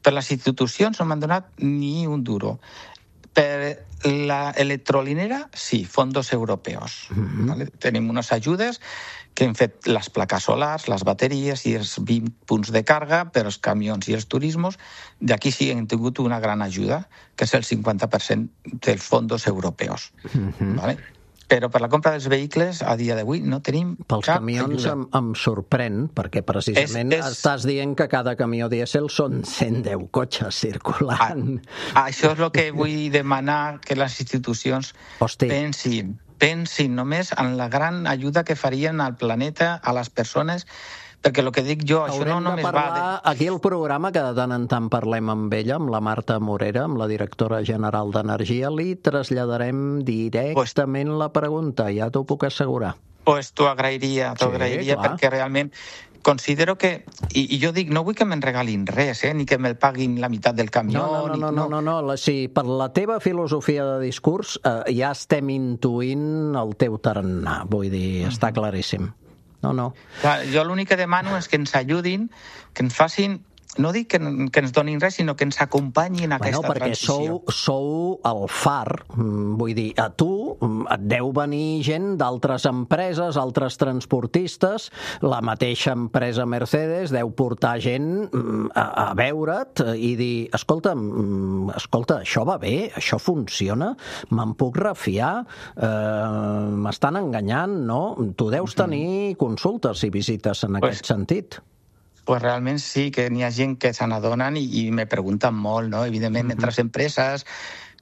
Per les institucions no m'han donat ni un duro. Per la electrolinera, sí, fondos europeos. Mm-hmm. ¿Vale? Tenim unes ajudes que hem fet les plaques solars, les bateries i els vint punts de càrrega per als camions i els turismes. D'aquí sí hem tingut una gran ajuda, que és el cinquanta per cent dels fondos europeus. Mm-hmm. ¿Vale? Però per la compra dels vehicles, a dia d'avui, no tenim Pels cap camions ajuda. em, em sorprèn, perquè precisament és, és... estàs dient que cada camió dièsel són cent deu cotxes circulant. A, això és el que vull demanar, que les institucions Hosti. pensin, pensin només en la gran ajuda que farien al planeta, a les persones, perquè el que dic jo, Haurem això no només parlar, va... De... Aquí al programa, que de tant en tant parlem amb ella, amb la Marta Morera, amb la directora general d'Energia, li traslladarem directament pues, la pregunta, ja t'ho puc assegurar. Doncs pues t'ho agrairia, t'ho sí, agrairia, clar. Perquè realment considero que, i, i jo dic, no vull que me'n regalin res, eh, ni que me'l paguin la meitat del camió. No, no, no, no, no, no, no, no. Si per la teva filosofia de discurs eh, ja estem intuint el teu tarannà, vull dir, està claríssim. No, no. Clar, jo l'únic que demano és que ens ajudin, que ens facin, no dic que, que ens donin res, sinó que ens acompanyin a bueno, aquesta perquè transició. Sou, sou el far, vull dir, a tu et deu venir gent d'altres empreses, altres transportistes, la mateixa empresa Mercedes deu portar gent a, a veure't i dir, escolta, escolta, això va bé, això funciona, me'n puc refiar, eh, m'estan enganyant, no? Tu deus tenir consultes i visites en Pues- aquest sentit. Pues realment sí, que n'hi ha gent que se n'adonen i, i me pregunten molt, no? Evidentment, uh-huh. entre les empreses,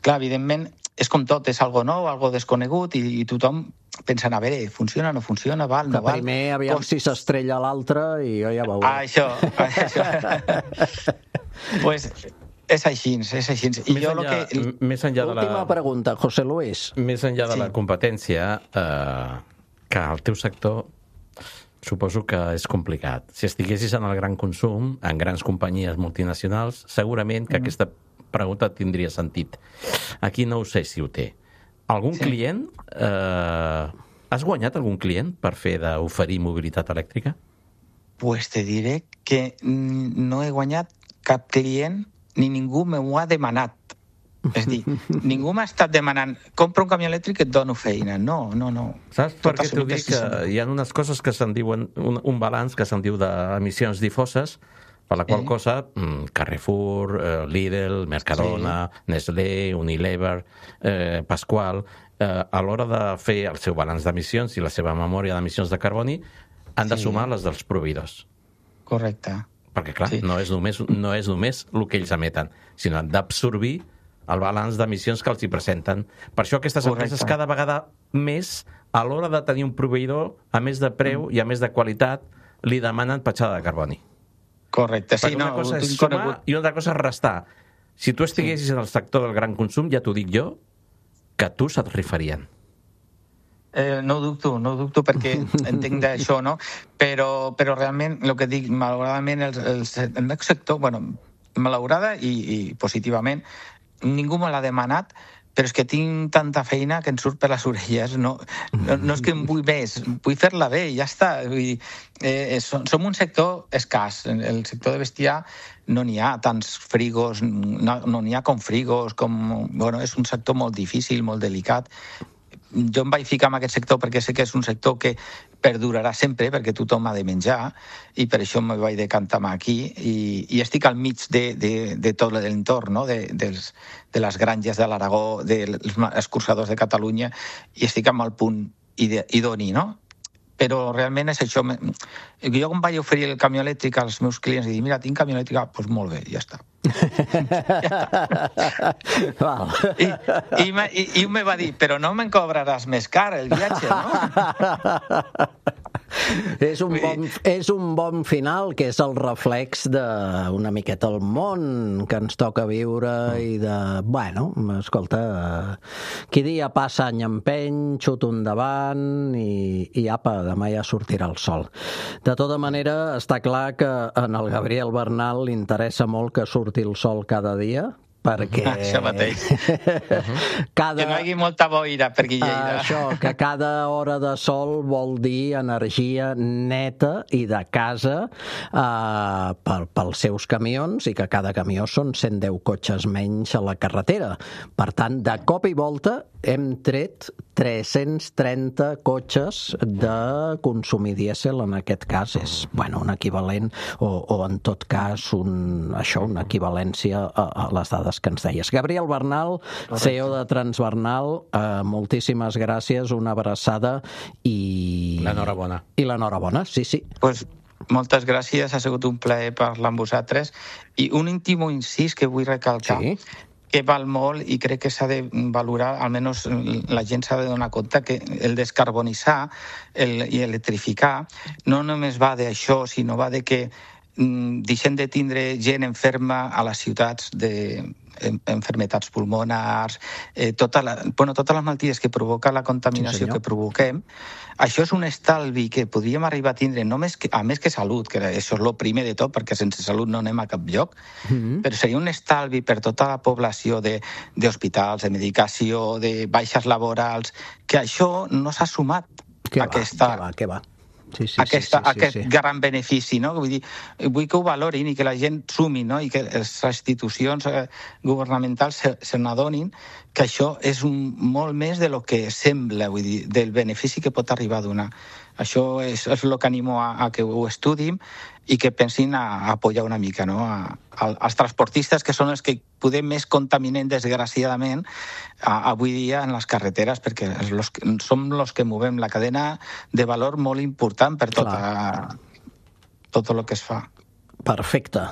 clar, evidentment, és com tot, és algo nou, algo desconegut, i, i tothom pensa, a veure, funciona, no funciona, val, no Que val. primer, aviam Pues- si s'estrella l'altre i jo ja veuré. Ah, això, això. Pues és així, és així. I Més jo enllà, lo que... més enllà de Última la... pregunta, José Luis. Més enllà de Sí. la competència, eh, que el teu sector suposo que és complicat. Si estiguessis en el gran consum, en grans companyies multinacionals, segurament que mm. aquesta pregunta tindria sentit. Aquí no ho sé si ho té. Algun Sí. client... Eh, has guanyat algun client per fer d'oferir mobilitat elèctrica? Pues te diré que mm, no he guanyat cap client ni ningú m'ho ha demanat. És a dir, ningú m'ha estat demanant compra un camió elèctric i et dono feina. No, no, no. Saps per què t'ho absolut, dic? sí, Que senyor. hi ha unes coses que se'n diuen, un, un balanç que se'n diu d'emissions difoses, per la qual Sí. cosa mm, Carrefour, eh, Lidl, Mercadona, sí. Nestlé, Unilever, eh, Pasqual, eh, a l'hora de fer el seu balanç d'emissions i la seva memòria d'emissions de carboni, han de Sí. sumar les dels proveïdors. Correcte. Perquè, clar, Sí. no és només, no és només el que ells emeten, sinó han d'absorbir el balanç d'emissions que els hi presenten. Per això aquestes Correcte. empreses cada vegada més, a l'hora de tenir un proveïdor, a més de preu mm. i a més de qualitat, li demanen petjada de carboni. Correcte, sí, Perquè una no, cosa ho és tinc sumar conegut. i una altra cosa és restar. Si tu estiguessis sí. en el sector del gran consum, ja t'ho dic jo, que a tu se't rifarien. Eh, no ho dubto, no ho dubto perquè entenc d'això, no? Però, però realment, el que dic, malauradament, el, el, el meu sector, bueno, malaurada i, i positivament, ningú me l'ha demanat, però és que tinc tanta feina que em surt per les orelles. No, no, no és que em vull més, vull fer-la bé i ja està. Vull dir, eh, som, som un sector escàs. En el sector de bestiar no n'hi ha tants frigos, no no n'hi ha com frigos, com... Bueno, és un sector molt difícil, molt delicat. Jo em vaig ficar en aquest sector perquè sé que és un sector que perdurarà sempre, perquè tothom ha de menjar, i per això me vaig decantar aquí, i, i estic al mig de, de, de tot l'entorn, no? de, dels, de les granges de l'Aragó, dels escurçadors de Catalunya, i estic amb el punt ide- idoni, no? Però realment és això. Jo quan vaig oferir el camió elèctric als meus clients i dir, mira, tinc camió elèctric, doncs pues molt bé, ja està. Val. I, i, me, i, i me va dir, però no me'n cobraràs més car el viatge, no? És un, bon, és un bon final, que és el reflex d'una miqueta el món que ens toca viure i de... Bueno, escolta, qui dia passa any empeny, xuto endavant i, i apa, demà ja sortirà el sol. De tota manera, està clar que en el Gabriel Bernal li interessa molt que surti el sol cada dia, perquè... Això mateix. cada... Que no hi hagi molta boira per aquí Lleida. Això, que cada hora de sol vol dir energia neta i de casa eh, per, pels seus camions, i que cada camió són cent deu cotxes menys a la carretera. Per tant, de cop i volta hem tret tres-cents trenta cotxes de consumir dièsel, en aquest cas és, bueno, un equivalent, o, o en tot cas un, això, una equivalència a, a les dades que ens deies. Gabriel Bernal, C E O de Transbernal, eh, moltíssimes gràcies, una abraçada i... L'enhorabona. I l'enhorabona, sí, sí. Pues, moltes gràcies, ha sigut un plaer parlar amb vosaltres. I un íntim incís que vull recalcar, Sí. que val molt i crec que s'ha de valorar, almenys la gent s'ha de donar compte que el descarbonitzar el, i electrificar no només va d'això, sinó va de que mm, deixem de tindre gent enferma a les ciutats de enfermetats pulmonars, eh, tota la, bueno, totes les malalties que provoca la contaminació Sí, que provoquem. Això és un estalvi que podríem arribar a tindre, només que, a més que salut, que això és el primer de tot, perquè sense salut no anem a cap lloc, mm-hmm. però seria un estalvi per tota la població d'hospitals, de, de medicació, de baixes laborals, que això no s'ha sumat Què a aquesta... va, què va, què va. Sí, sí, Aquesta, sí, sí, aquest sí, sí. gran benefici, no? Vull dir, vull que ho valorin i que la gent sumi, no? I que les institucions governamentals se, se n'adonin que això és un, molt més de lo que sembla, vull dir, del benefici que pot arribar a donar. Això és, és el que animo a, a que ho estudim i que pensin a, a apoyar una mica, no? a, a, als transportistes, que són els que podem més contaminen, desgraciadament, a, avui dia en les carreteres, perquè los, som els que movem la cadena de valor molt important per tot, a, tot el que es fa. Perfecte.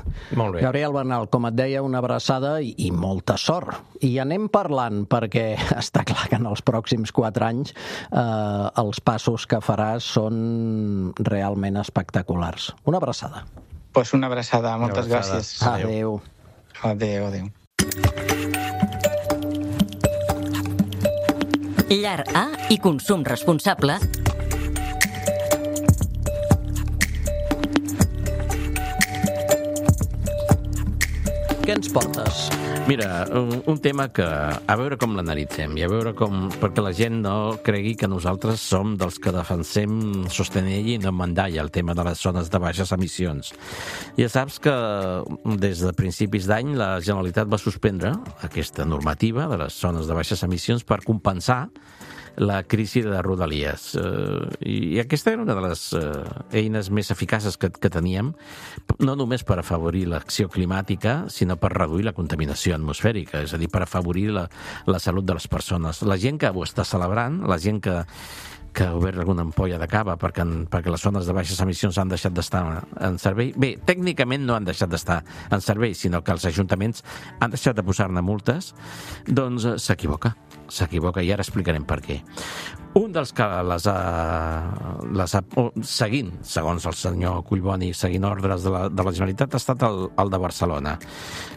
Molt bé. Gabriel Bernal, com et deia, una abraçada i, i molta sort. I anem parlant, perquè està clar que en els pròxims quatre anys eh, els passos que faràs són realment espectaculars. Una abraçada. Pues una abraçada, moltes una abraçada. Gràcies. Adéu. Adéu, adéu. Llar A i consum responsable. Què ens portes? Mira, un, un tema que a veure com l'analitzem i a veure com... perquè la gent no cregui que nosaltres som dels que defensem sostenir i no mandalla el tema de les zones de baixes emissions. Ja saps que des de principis d'any la Generalitat va suspendre aquesta normativa de les zones de baixes emissions per compensar la crisi de Rodalies. Eh, I aquesta era una de les eh, eines més eficaces que, que teníem, no només per afavorir l'acció climàtica, sinó per reduir la contaminació atmosfèrica, és a dir, per afavorir la, la salut de les persones. La gent que ho està celebrant, la gent que que ha obert alguna ampolla de cava perquè, en, perquè les zones de baixes emissions han deixat d'estar en servei. Bé, tècnicament no han deixat d'estar en servei, sinó que els ajuntaments han deixat de posar-ne multes, doncs s'equivoca. S'equivoca i ara explicarem per què. Un dels que les ha, les ha seguint, segons el senyor Collboni, seguint ordres de la, de la Generalitat, ha estat el, el de Barcelona.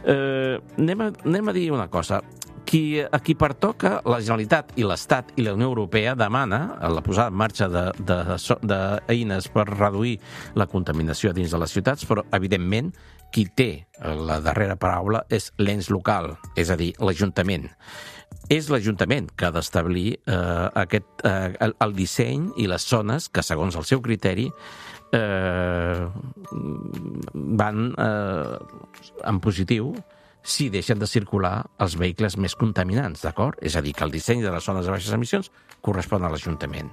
Eh, anem, a, anem a dir una cosa. Qui, a qui pertoca, la Generalitat i l'Estat i la Unió Europea demana la posada en marxa d'eines per reduir la contaminació dins de les ciutats, però, evidentment, qui té la darrera paraula és l'ens local, és a dir, l'Ajuntament. És l'Ajuntament que ha d'establir eh, aquest, eh, el, el disseny i les zones que, segons el seu criteri, eh, van eh, en positiu si deixen de circular els vehicles més contaminants, d'acord? És a dir, que el disseny de les zones de baixes emissions correspon a l'Ajuntament.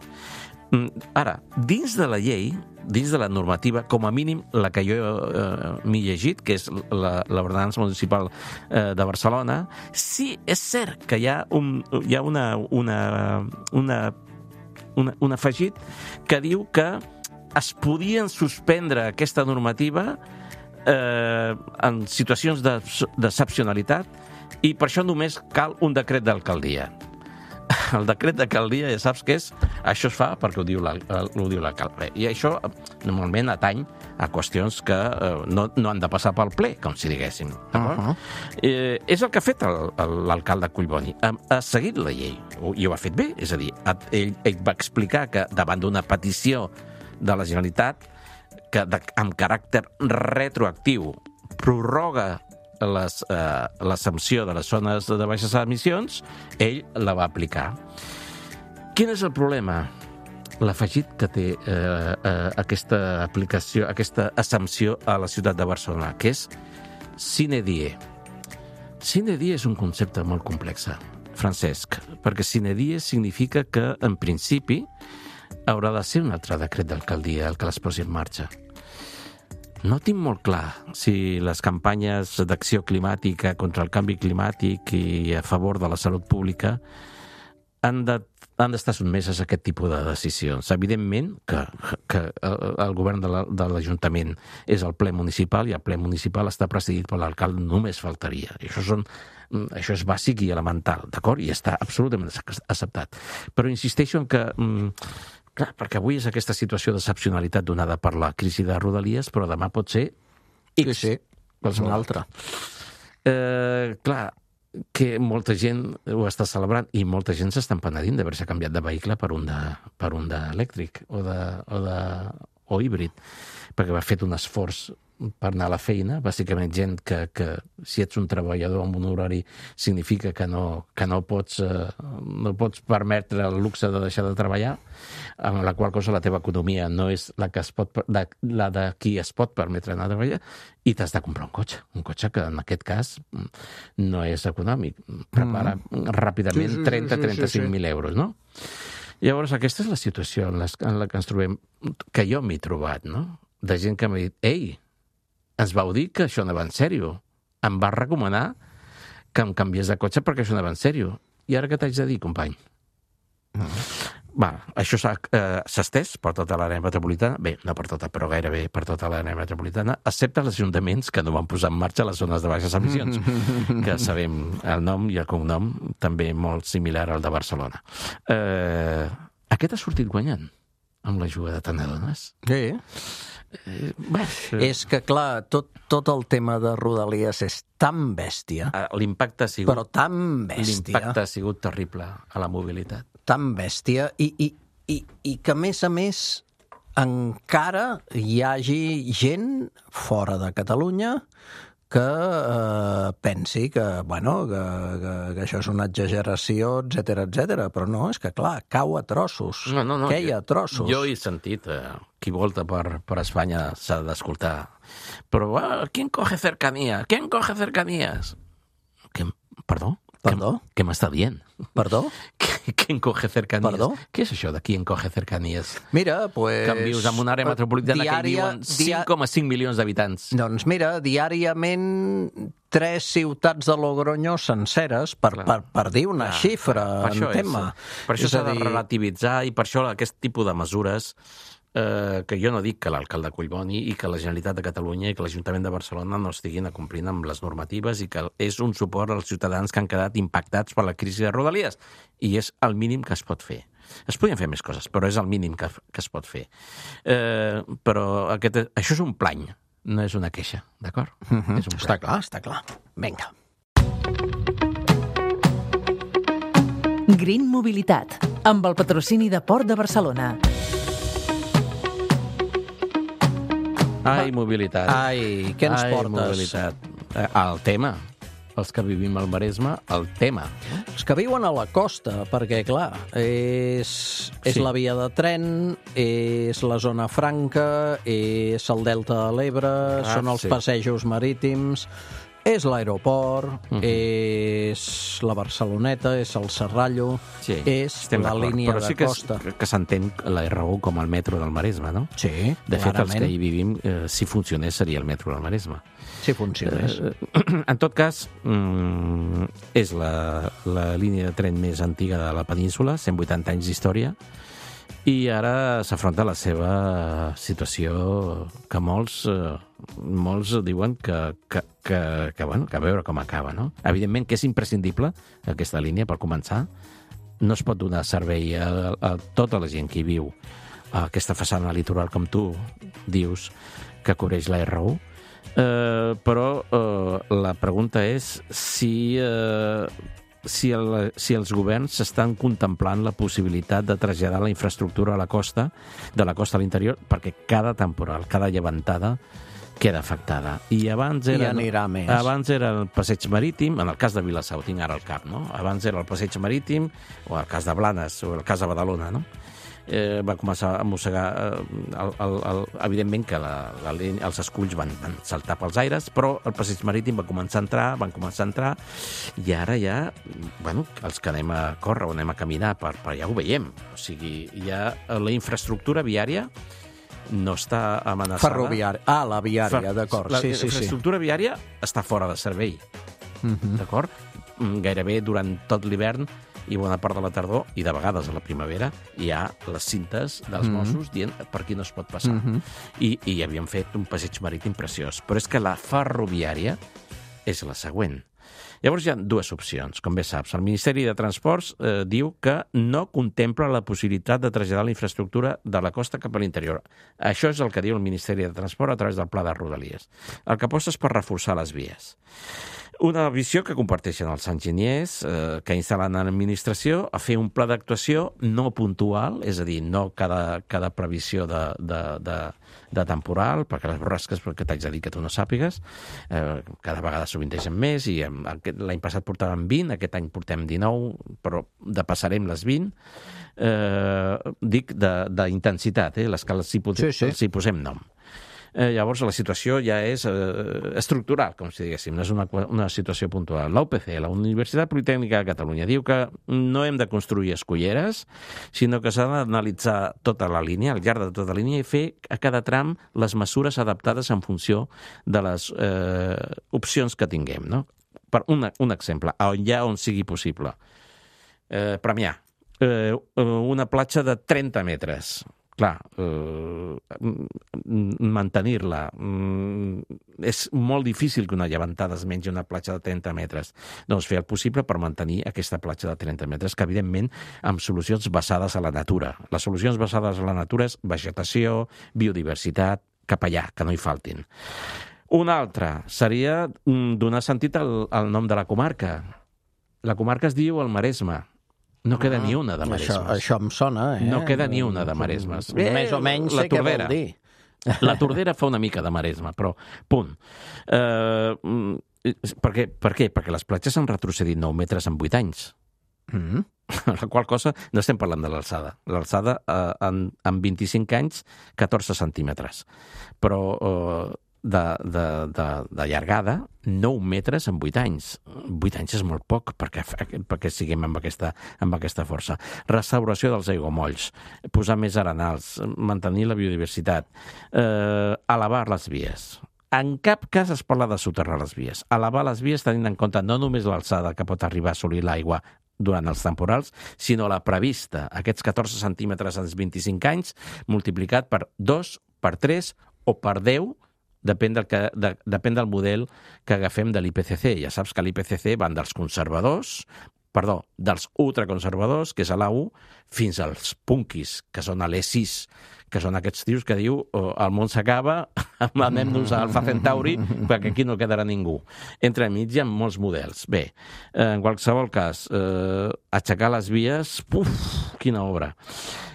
Ara, dins de la llei, dins de la normativa, com a mínim la que jo eh, m'he llegit, que és l'ordenança municipal eh, de Barcelona, sí, és cert que hi ha un, hi ha una, una, una, una, un afegit que diu que es podien suspendre aquesta normativa Eh, en situacions d'excepcionalitat i per això només cal un decret d'alcaldia. El decret d'alcaldia ja saps què és? Això es fa perquè ho diu l'alcalde. I això normalment atany a qüestions que eh, no, no han de passar pel ple, com si diguéssim. Uh-huh. eh, és el que ha fet l'alcalde Collboni. Ha, ha seguit la llei i ho ha fet bé. És a dir, ell, ell va explicar que davant d'una petició de la Generalitat que de, amb caràcter retroactiu prorroga l'exempció eh, de les zones de baixes emissions, ell la va aplicar. Quin és el problema? L'afegit que té eh, eh, aquesta aplicació, aquesta exempció a la ciutat de Barcelona, que és sine die. Sine die és un concepte molt complex, Francesc, perquè sine die significa que, en principi, haurà de ser un altre decret d'alcaldia el que les posi en marxa. No tinc molt clar si les campanyes d'acció climàtica contra el canvi climàtic i a favor de la salut pública han de, han d'estar sotmeses a aquest tipus de decisions. Evidentment que, que el govern de l'Ajuntament és el ple municipal i el ple municipal està presidit per l'alcalde, només faltaria. I això, són, això és bàsic i elemental, d'acord? I està absolutament acceptat. Però insisteixo en que... Clar, perquè avui és aquesta situació d'excepcionalitat donada per la crisi de Rodalies, però demà pot ser X. Sí, sí, és una altra. Eh, clar, que molta gent ho està celebrant i molta gent s'està penedint d'haver-se canviat de vehicle per un de, per un d'elèctric o, de, o, de, o híbrid, perquè va fet un esforç per anar a la feina, bàsicament gent que, que si ets un treballador amb un horari significa que no, que no, pots, eh, no pots permetre el luxe de deixar de treballar, amb la qual cosa la teva economia no és la, que es pot, la, la de qui es pot permetre anar a treballar, i t'has de comprar un cotxe, un cotxe que en aquest cas no és econòmic, prepara mm. ràpidament sí, sí, trenta a trenta-cinc mil sí, sí, sí. euros, no? Llavors, aquesta és la situació en, les, en la que ens trobem, que jo m'he trobat, no? De gent que m'ha dit, ei, ens vau dir que això anava en sèrio. Em va recomanar que em canviés de cotxe perquè això anava en sèrio. I ara què t'haig de dir, company? Mm. Va, això s'ha eh, estès per tota l'àrea metropolitana, bé, no per tota, però gairebé per tota l'àrea metropolitana, excepte els ajuntaments que no van posar en marxa les zones de baixes emissions, que sabem el nom i el cognom, també molt similar al de Barcelona. Eh, aquest ha sortit guanyant amb l'ajuda de tant adones? Sí. Eh, bé, és que, clar, tot, tot el tema de Rodalies és tan bèstia. L'impacte ha sigut... Però tan bèstia. L'impacte ha sigut terrible a la mobilitat. Tan bèstia, i, i, i, i que, a més a més, encara hi hagi gent fora de Catalunya que eh, pensi que, bueno, que, que, que això és una exageració, etcètera, etcètera. Però no, és que, clar, cau a trossos. No, no, no. Queia a trossos. Jo he sentit, eh, qui volta per, per Espanya s'ha d'escoltar. Però, ah, ¿quién coge cercanía? ¿Quién coge cercanías? ¿Qué? Perdó? Perdó? Què m'està dient? Perdó? ¿Quién coge cercanías? Perdó? Què és això de quién coge cercanías? Mira, pues... Que vius en una àrea metropolitana diària, que hi viuen cinc coma cinc milions d'habitants. Doncs mira, diàriament tres ciutats de Logroño senceres, per, per, per dir una Clar, xifra en tema. És, per això s'ha de relativitzar i per això aquest tipus de mesures eh, que jo no dic que l'alcalde Collboni i que la Generalitat de Catalunya i que l'Ajuntament de Barcelona no estiguin complint amb les normatives i que és un suport als ciutadans que han quedat impactats per la crisi de Rodalies. I és el mínim que es pot fer. Es podien fer més coses, però és el mínim que, que es pot fer. Eh, però aquest, això és un plany, no és una queixa, d'acord? Mm-hmm. És un està clar, està clar. Vinga. Green Mobilitat, amb el patrocini de Port de Barcelona. Ai, mobilitat. Ai, què ens Ai, portes? Mobilitat. El tema. Els que vivim al Maresme, el tema. Els que viuen a la costa, perquè, clar, és, és sí. la via de tren, és la zona franca, és el delta de l'Ebre, ah, són els sí. passejos marítims, és l'aeroport, uh-huh. és la Barceloneta, és el Serrallo, sí, és la línia Però sí de costa. Però sí que, que s'entén la R un com el metro del Maresme, no? Sí, De fet, clarament. Els que hi vivim, eh, si funcionés, seria el metro del Maresme. Si funcionés. Eh, en tot cas, mm, és la, la línia de tren més antiga de la península, cent vuitanta anys d'història, i ara s'afronta la seva situació que molts, eh, molts diuen que, que, que, que, bueno, que a veure com acaba, no? Evidentment que és imprescindible aquesta línia, per començar. No es pot donar servei a, a tota la gent que hi viu a aquesta façana litoral, com tu dius, que cobreix la R un. Eh, però eh, la pregunta és si... Eh, Si, el, si els governs estan contemplant la possibilitat de traslladar la infraestructura a la costa, de la costa a l'interior, perquè cada temporal, cada llevantada queda afectada. I abans era, I anirà més. Abans era el passeig marítim, en el cas de Vilassar, ho tinc ara al cap, no? Abans era el passeig marítim, o el cas de Blanes, o el cas de Badalona, no? Eh, va començar a mossegar eh, el, el, el, evidentment que la, la, els esculls van, van saltar pels aires, però el passeig marítim va començar a entrar, van començar a entrar, i ara ja, bueno, els que anem a córrer o anem a caminar, per, per ja ho veiem. O sigui, ja la infraestructura viària no està amenaçada. Ferroviària. Ah, la viària, Fer... d'acord. La sí, sí, infraestructura sí. viària està fora de servei, uh-huh. d'acord? Gairebé durant tot l'hivern i bona part de la tardor, i de vegades a la primavera, hi ha les cintes dels mm-hmm. Mossos dient per qui no es pot passar. Mm-hmm. I, I havíem fet un passeig marítim preciós. Però és que la ferroviària és la següent. Llavors hi ha dues opcions, com bé saps. El Ministeri de Transports eh, diu que no contempla la possibilitat de traslladar la infraestructura de la costa cap a l'interior. Això és el que diu el Ministeri de Transport a través del Pla de Rodalies. El que aposta és per reforçar les vies. Una visió que comparteixen els enginyers eh, que instal·len en l'administració a fer un pla d'actuació no puntual, és a dir, no cada, cada previsió de, de, de, de temporal, perquè les borrasques que t'haig de dir que tu no sàpigues, eh, cada vegada sovintegen més, i l'any passat portàvem vint, aquest any portem dinou, però depassarem les vint. Eh, dic d'intensitat, eh, les que els hi, sí, sí. els hi posem nom. Eh, llavors la situació ja és eh, estructural, com si diguéssim, no és una, una situació puntual. La U P C, la Universitat Politècnica de Catalunya, diu que no hem de construir esculleres, sinó que s'ha d'analitzar tota la línia, al llarg de tota la línia, i fer a cada tram les mesures adaptades en funció de les eh, opcions que tinguem. No? Per un, un exemple, allà on sigui possible. Eh, Premià, eh, una platja de trenta metres. Clar, eh, mantenir-la. És molt difícil que una llevantada es mengi una platja de trenta metres. Doncs fer el possible per mantenir aquesta platja de trenta metres, que evidentment amb solucions basades a la natura. Les solucions basades a la natura és vegetació, biodiversitat, cap allà, que no hi faltin. Una altra seria donar sentit al, al nom de la comarca. La comarca es diu el Maresme. No queda ah, ni una de Maresmes. Això, això em sona, eh? No queda ni una de Maresmes. Eh, Més o menys sé què vol dir. La Tordera fa una mica de Maresme, però punt. Uh, per, què? per què? Perquè les platges han retrocedit nou metres en vuit anys. Mm-hmm. La qual cosa, no estem parlant de l'alçada. L'alçada uh, en, en vint-i-cinc anys, catorze centímetres. Però... Uh, de, de, de, de llargada, nou metres en vuit anys. vuit anys és molt poc perquè, perquè siguem amb aquesta, amb aquesta força. Restauració dels aiguamolls, posar més arenals, mantenir la biodiversitat, eh, elevar les vies. En cap cas es parla de soterrar les vies. Elevar les vies tenint en compte no només l'alçada que pot arribar a assolir l'aigua durant els temporals, sinó la prevista, aquests catorze centímetres en vint-i-cinc anys, multiplicat per dos, per tres o per deu, Depèn del, que, de, depèn del model que agafem de l'I P C C. Ja saps que l'I P C C van dels conservadors, perdó, dels ultraconservadors, que és a l'A U, fins als punkis, que són a l'E sis, que són aquests tios que diu oh, el món s'acaba, anem-nos a Alfa Centauri, perquè aquí no quedarà ningú. Entre mig hi ha molts models. Bé, en qualsevol cas, eh, aixecar les vies, puf, quina obra.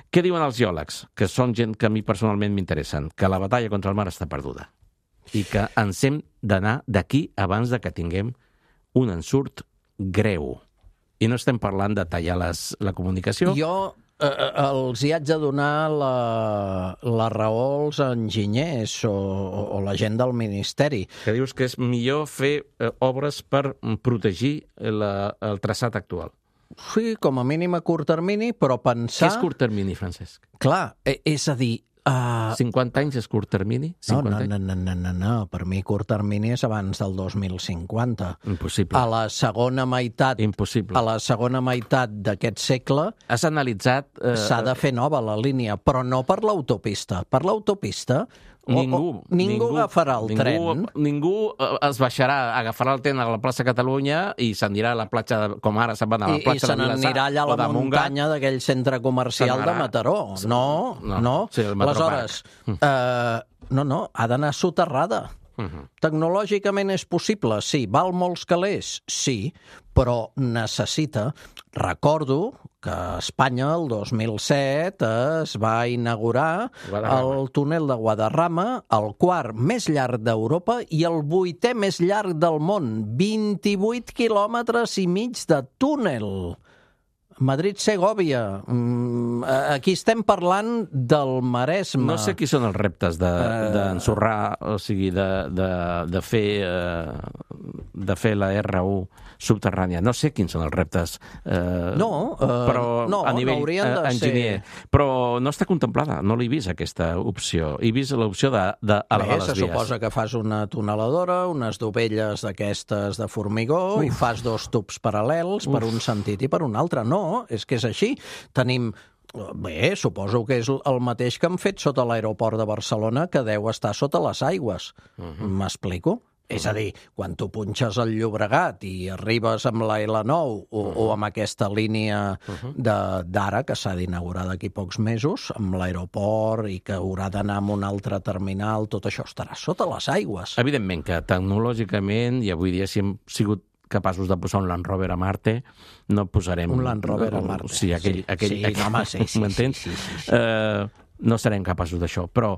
Què diuen els geòlegs? Que són gent que a mi personalment m'interessen, que la batalla contra el mar està perduda i que ens hem d'anar d'aquí abans de que tinguem un ensurt greu. I no estem parlant de tallar les, la comunicació. Jo eh, els hi haig de donar la, la raó als enginyers o, o la gent del Ministeri. Que dius que és millor fer eh, obres per protegir la, el traçat actual. Sí, com a mínim a curt termini, però pensar... Què és curt termini, Francesc? Clar, és a dir... Uh... cinquanta anys és curt termini? No, no, no, no, no, no, no, per mi curt termini és abans del dos mil cinquanta. Impossible. A la segona meitat... Impossible. A la segona meitat d'aquest segle... Has analitzat... Eh... S'ha de fer nova la línia, però no per l'autopista. Per l'autopista... Ningú, o, o, ningú, ningú agafarà el ningú, tren. Ningú es baixarà, agafarà el tren a la plaça Catalunya i s'anirà a la platja, de, com ara se'n van a la platja I, i de Vilassar. I se n'anirà allà a la muntanya d'aquell centre comercial de Mataró. No, no. no. Sí, aleshores, eh, no, no, ha d'anar soterrada. Uh-huh. Tecnològicament és possible, sí. Val molts calés? Sí, però necessita... Recordo que a Espanya el dos mil set es va inaugurar Guadarrama. El túnel de Guadarrama, el quart més llarg d'Europa i el vuitè més llarg del món. vint-i-vuit quilòmetres i mig de túnel. Madrid-Segòvia. Aquí estem parlant del Maresme. No sé qui són els reptes d'ensorrar, de, o sigui, de, de, de, fer, de fer la R u subterrània. No sé quins són els reptes eh, no, uh, però no, a nivell no uh, enginyer. Ser... Però no està contemplada, no l'he vist aquesta opció. He vist l'opció d'elevar les se vies. Suposa que fas una tuneladora, unes dovelles d'aquestes de formigó Uf. I fas dos tubs paral·lels Uf. Per un sentit i per un altre. No, és que és així. Tenim... Bé, suposo que és el mateix que han fet sota l'aeroport de Barcelona, que deu estar sota les aigües. Uh-huh. M'explico? És a dir, quan tu punxes el Llobregat i arribes amb la L nou o, uh-huh. o amb aquesta línia uh-huh. d'ara, que s'ha d'inaugurar d'aquí pocs mesos, amb l'aeroport i que haurà d'anar a un altre terminal, tot això estarà sota les aigües. Evidentment que tecnològicament, i avui dia si hem sigut capaços de posar un Land Rover a Marte, no posarem... Un Land Rover a Marte. Sí, aquell... Sí, aquell, sí, aquell no, home, sí, sí, m'entens? sí, sí, sí, sí. Uh, no serem capaços d'això, però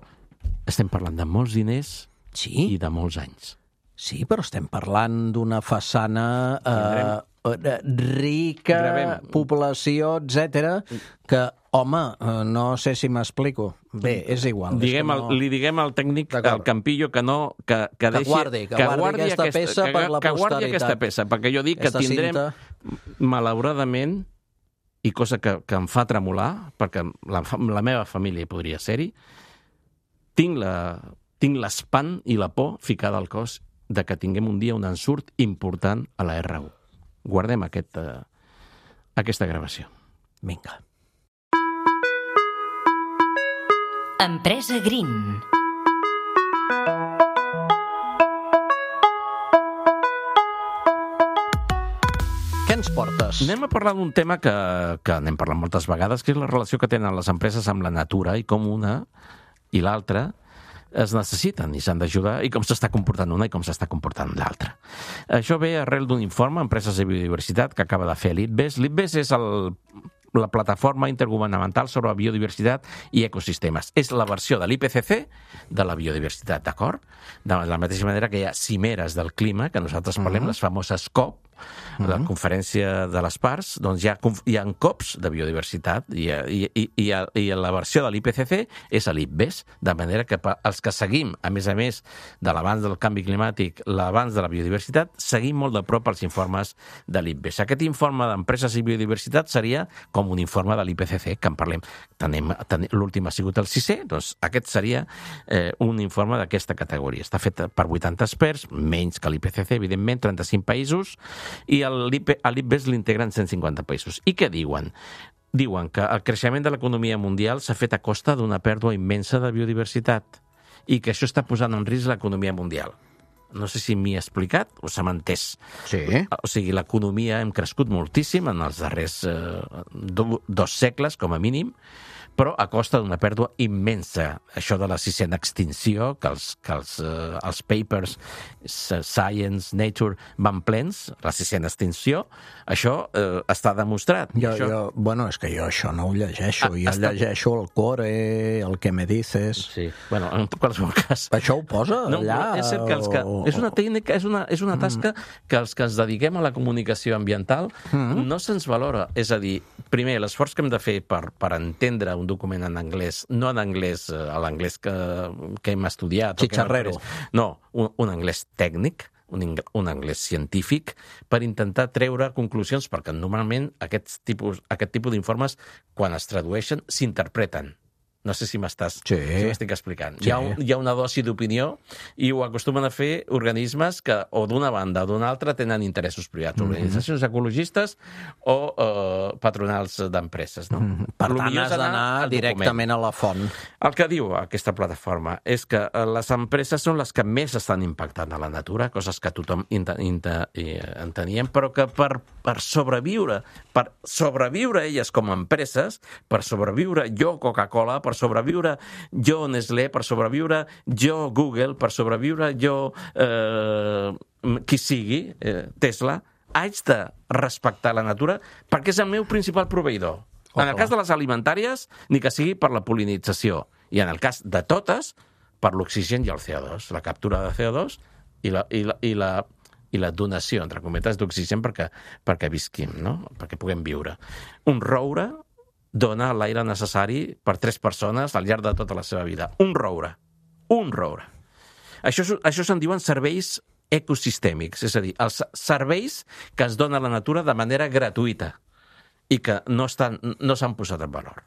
estem parlant de molts diners sí? i de molts anys. Sí, però estem parlant d'una façana eh, rica, Gravem. població, etcètera, que, home, eh, no sé si m'explico. Bé, és igual. Diguem és el, no... Li diguem al tècnic, al Campillo, que no... Que, que, que deixi, guardi, que, que guardi, guardi aquesta, aquesta peça que, per la que posteritat. guardi aquesta peça, perquè jo dic aquesta que tindrem, cinta... malauradament, i cosa que, que em fa tremolar, perquè la, la meva família hi podria ser-hi, tinc la... tinc l'espant i la por ficada al cos de que tinguem un dia un ensurt important a la R u. Guardem aquest, uh, aquesta gravació. Vinga. Empresa Green. Què ens portes? Anem a parlar d'un tema que, que n'hem parlat moltes vegades, que és la relació que tenen les empreses amb la natura i com una i l'altra es necessiten i s'han d'ajudar, i com s'està comportant una i com s'està comportant l'altra. Això ve arrel d'un informe, Empreses de Biodiversitat, que acaba de fer l'IPBES. l'IPBES és el, la plataforma intergovernamental sobre la biodiversitat i ecosistemes. És la versió de l'I P C C de la biodiversitat, d'acord? De la mateixa manera que hi ha cimeres del clima, que nosaltres parlem, uh-huh. les famoses COP, uh-huh. la conferència de les parts, doncs hi ha, hi ha COPs de biodiversitat i, i, i, i, i la versió de l'I P C C és l'IPBES, de manera que els que seguim, a més a més de l'abans del canvi climàtic, l'abans de la biodiversitat, seguim molt de prop els informes de l'IPBES. Aquest informe d'empreses i biodiversitat seria com un informe de l'I P C C, que en parlem. Tenim, tenim, l'últim ha sigut el sisè, doncs aquest seria eh, un informe d'aquesta categoria. Està fet per vuitanta experts, menys que l'I P C C, evidentment, trenta-cinc països, i l'IPBES l'integren cent cinquanta països. I què diuen? Diuen que el creixement de l'economia mundial s'ha fet a costa d'una pèrdua immensa de biodiversitat i que això està posant en risc l'economia mundial. No sé si m'hi he explicat o se m'ha entès. Sí. O sigui, l'economia hem crescut moltíssim en els darrers eh, do, dos segles, com a mínim, però a costa d'una pèrdua immensa. Això de la sisena extinció, que els, que els, eh, els papers Science, Nature van plens, la sisena extinció, això eh, està demostrat. Jo, això... jo, bueno, és que jo això no ho llegeixo. Ah, jo està... llegeixo el Core, el que me dices... Sí, bueno, en qualsevol cas... Això ho posa no, allà? No, és cert que els que... És una tècnica, és una, és una tasca que els que ens dediquem a la comunicació ambiental mm. no se'ns valora. És a dir, primer, l'esforç que hem de fer per, per entendre un document en anglès, no en anglès, a l'anglès que, que hem estudiat... Xicharrero. No, un, un anglès tècnic, un, un anglès científic, per intentar treure conclusions, perquè normalment aquests tipus, aquest tipus d'informes, quan es tradueixen, s'interpreten. No sé si m'estàs sí. si m'estic explicant. Sí. Hi, ha un, hi ha una dosi d'opinió i ho acostumen a fer organismes que, o d'una banda o d'una altra, tenen interessos privats, mm-hmm. organitzacions ecologistes o eh, patronals d'empreses. No? Mm-hmm. Per tant, has d'anar directament a la font. El que diu aquesta plataforma és que les empreses són les que més estan impactant a la natura, coses que tothom enteníem, però que per, per sobreviure, per sobreviure elles com a empreses, per sobreviure jo, Coca-Cola, per sobreviure jo Nestlé, per sobreviure jo Google, per sobreviure jo eh, qui sigui, eh, Tesla, haig de respectar la natura perquè és el meu principal proveïdor. Oh, en el cas de les alimentàries, ni que sigui per la polinització, i en el cas de totes, per l'oxigen i el C O dos, la captura de C O dos i la, i la, i la, i la donació, entre cometes, d'oxigen perquè, perquè visquim, no? Perquè puguem viure. Un roure dona l'aire necessari per tres persones al llarg de tota la seva vida. Un roure. Un roure. Això, això se'n diuen serveis ecosistèmics, és a dir, els serveis que es donen a la natura de manera gratuïta i que no estan, no s'han posat en valor.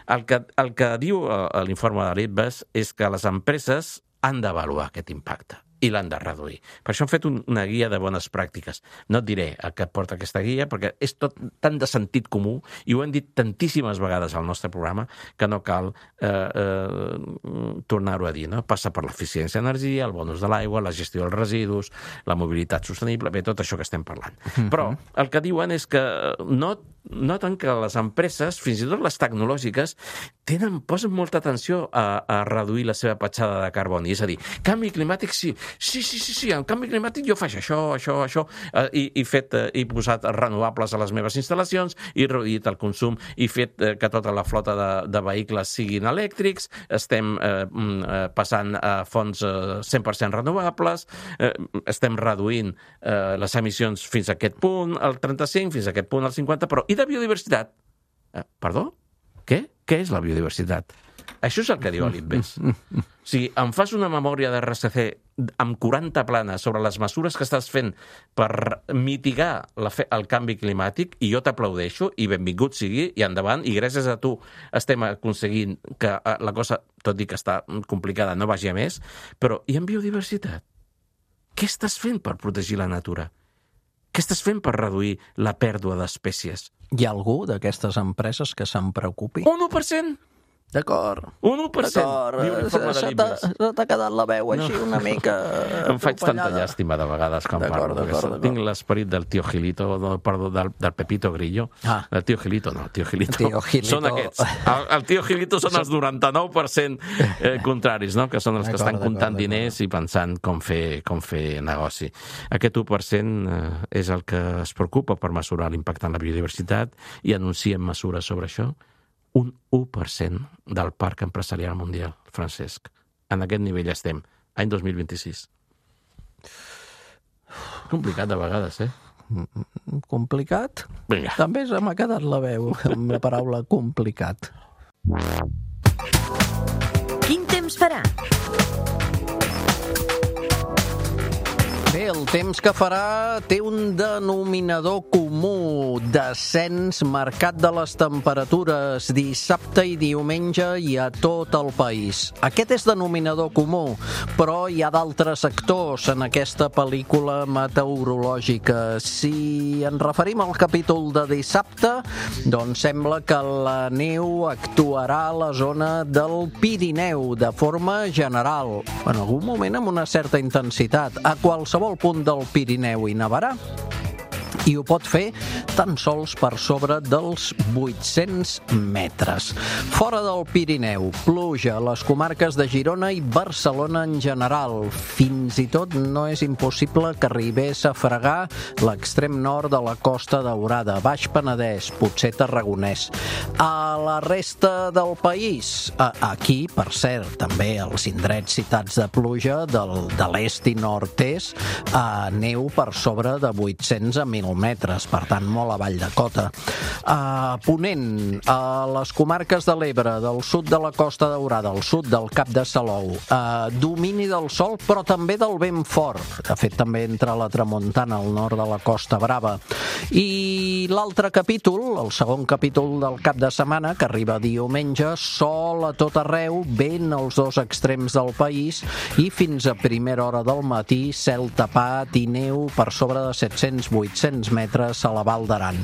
El que, el que diu l'informe de l'IPBES és que les empreses han d'avaluar aquest impacte. i l'han de reduir. Per això hem fet un, una guia de bones pràctiques. No et diré a què porta aquesta guia, perquè és tot tan de sentit comú, i ho hem dit tantíssimes vegades al nostre programa, que no cal eh, eh, tornar-ho a dir. No? Passa per l'eficiència d'energia, el bonus de l'aigua, la gestió dels residus, la mobilitat sostenible, bé, tot això que estem parlant. Mm-hmm. Però el que diuen és que no, noten que les empreses, fins i tot les tecnològiques, tenen, posen molta atenció a, a reduir la seva petjada de carboni. És a dir, canvi climàtic sí, Sí, sí, sí, sí, en canvi climàtic jo faig això, això, això, eh, i, i fet, eh, he posat renovables a les meves instal·lacions, i reduït el consum, i fet eh, que tota la flota de, de vehicles siguin elèctrics, estem eh, eh, passant a fonts eh, cent per cent renovables, eh, estem reduint eh, les emissions fins a aquest punt, el trenta-cinc, fins a aquest punt, el cinquanta, però i de biodiversitat? Eh, perdó? Què? Què és la biodiversitat? Això és el que diu l'Invest. O sigui, em fas una memòria de R S C amb quaranta planes sobre les mesures que estàs fent per mitigar la fe- el canvi climàtic, i jo t'aplaudeixo, i benvingut sigui, i endavant, i gràcies a tu estem aconseguint que la cosa, tot i que està complicada, no vagi a més, però i en biodiversitat? Què estàs fent per protegir la natura? Què estàs fent per reduir la pèrdua d'espècies? Hi ha algú d'aquestes empreses que se'n preocupi? Un u per cent! D'acord. Un u per cent. D'acord. Se t'ha t'ha quedat la veu així no. una mica... Em faig tanta llàstima de vegades quan parlo. D'acord, tinc l'esperit del tio Gilito, no, perdó, del, del Pepito Grillo. Ah. El tio Gilito, no, el tio Gilito. Tio Gilito. Són aquests. El, el tio Gilito són els noranta-nou per cent eh, contraris, no? Que són els que estan comptant diners i pensant com fer, com fer negoci. Aquest u per cent eh, és el que es preocupa per mesurar l'impacte en la biodiversitat i anuncien mesures sobre això. Un u per cent del parc empresarial mundial, Francesc. En aquest nivell estem, any dos mil vint-i-sis. Complicat de vegades, eh? Complicat? Vinga. També se m'ha quedat la veu amb la paraula complicat. Quin temps farà? Bé, el temps que farà té un denominador comú, descens marcat de les temperatures dissabte i diumenge i a tot el país. Aquest és denominador comú, però hi ha d'altres actors en aquesta pel·lícula meteorològica. Si ens referim al capítol de dissabte, doncs sembla que la neu actuarà a la zona del Pirineu de forma general, en algun moment amb una certa intensitat. A qualsevol punt del Pirineu hi nevarà, i ho pot fer tan sols per sobre dels vuit-cents metres. Fora del Pirineu, pluja a les comarques de Girona i Barcelona en general. Fins i tot no és impossible que arribés a fregar l'extrem nord de la Costa Daurada, Baix Penedès, potser Tarragonès. A la resta del país, aquí, per cert, també els indrets citats de pluja del, de l'est i nord-est, a neu per sobre de vuit-cents a mil metres, per tant, molt avall de cota. A Ponent, a les comarques de l'Ebre, del sud de la Costa Daurada, al sud del Cap de Salou, a domini del sol, però també del vent fort. De fet, també entra la tramuntana al nord de la Costa Brava. I l'altre capítol, el segon capítol del cap de setmana, que arriba diumenge, sol a tot arreu, vent als dos extrems del país i fins a primera hora del matí, cel tapat i neu per sobre de set-cents a vuit-cents metres a la Val d'Aran.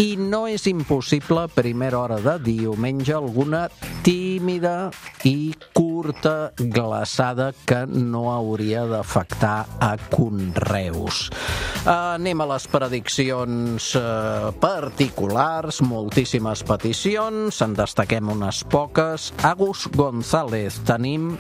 I no és impossible, a primera hora de diumenge, alguna tímida i curta glaçada que no hauria d'afectar a conreus. Anem a les prediccions eh, particulars, moltíssimes peticions, en destaquem unes poques. Agus González, tenim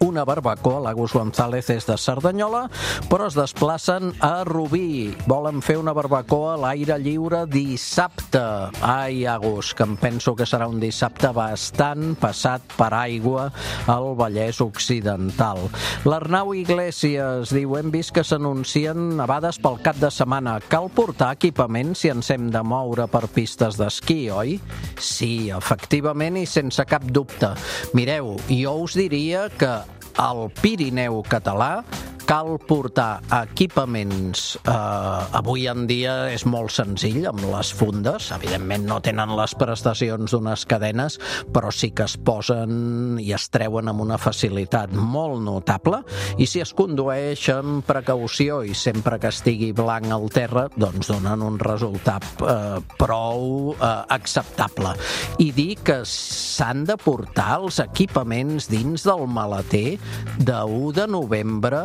una barbacoa. L'Agus González és de Cerdanyola, però es desplacen a Rubí. Volen fer una barbacoa a l'aire lliure dissabte. Ai, Agus, que em penso que serà un dissabte bastant passat per aigua al Vallès Occidental. L'Arnau Iglesias diu: hem vist que s'anuncien nevades pel cap de setmana. Cal portar equipament si ens hem de moure per pistes d'esquí, oi? Sí, efectivament i sense cap dubte. Mireu, jo us diria que al Pirineu català cal portar equipaments. Eh, avui en dia és molt senzill amb les fundes, evidentment no tenen les prestacions d'unes cadenes, però sí que es posen i es treuen amb una facilitat molt notable, i si es condueix amb precaució i sempre que estigui blanc al terra, doncs donen un resultat eh, prou eh, acceptable. I dir que s'han de portar els equipaments dins del maleter de u de novembre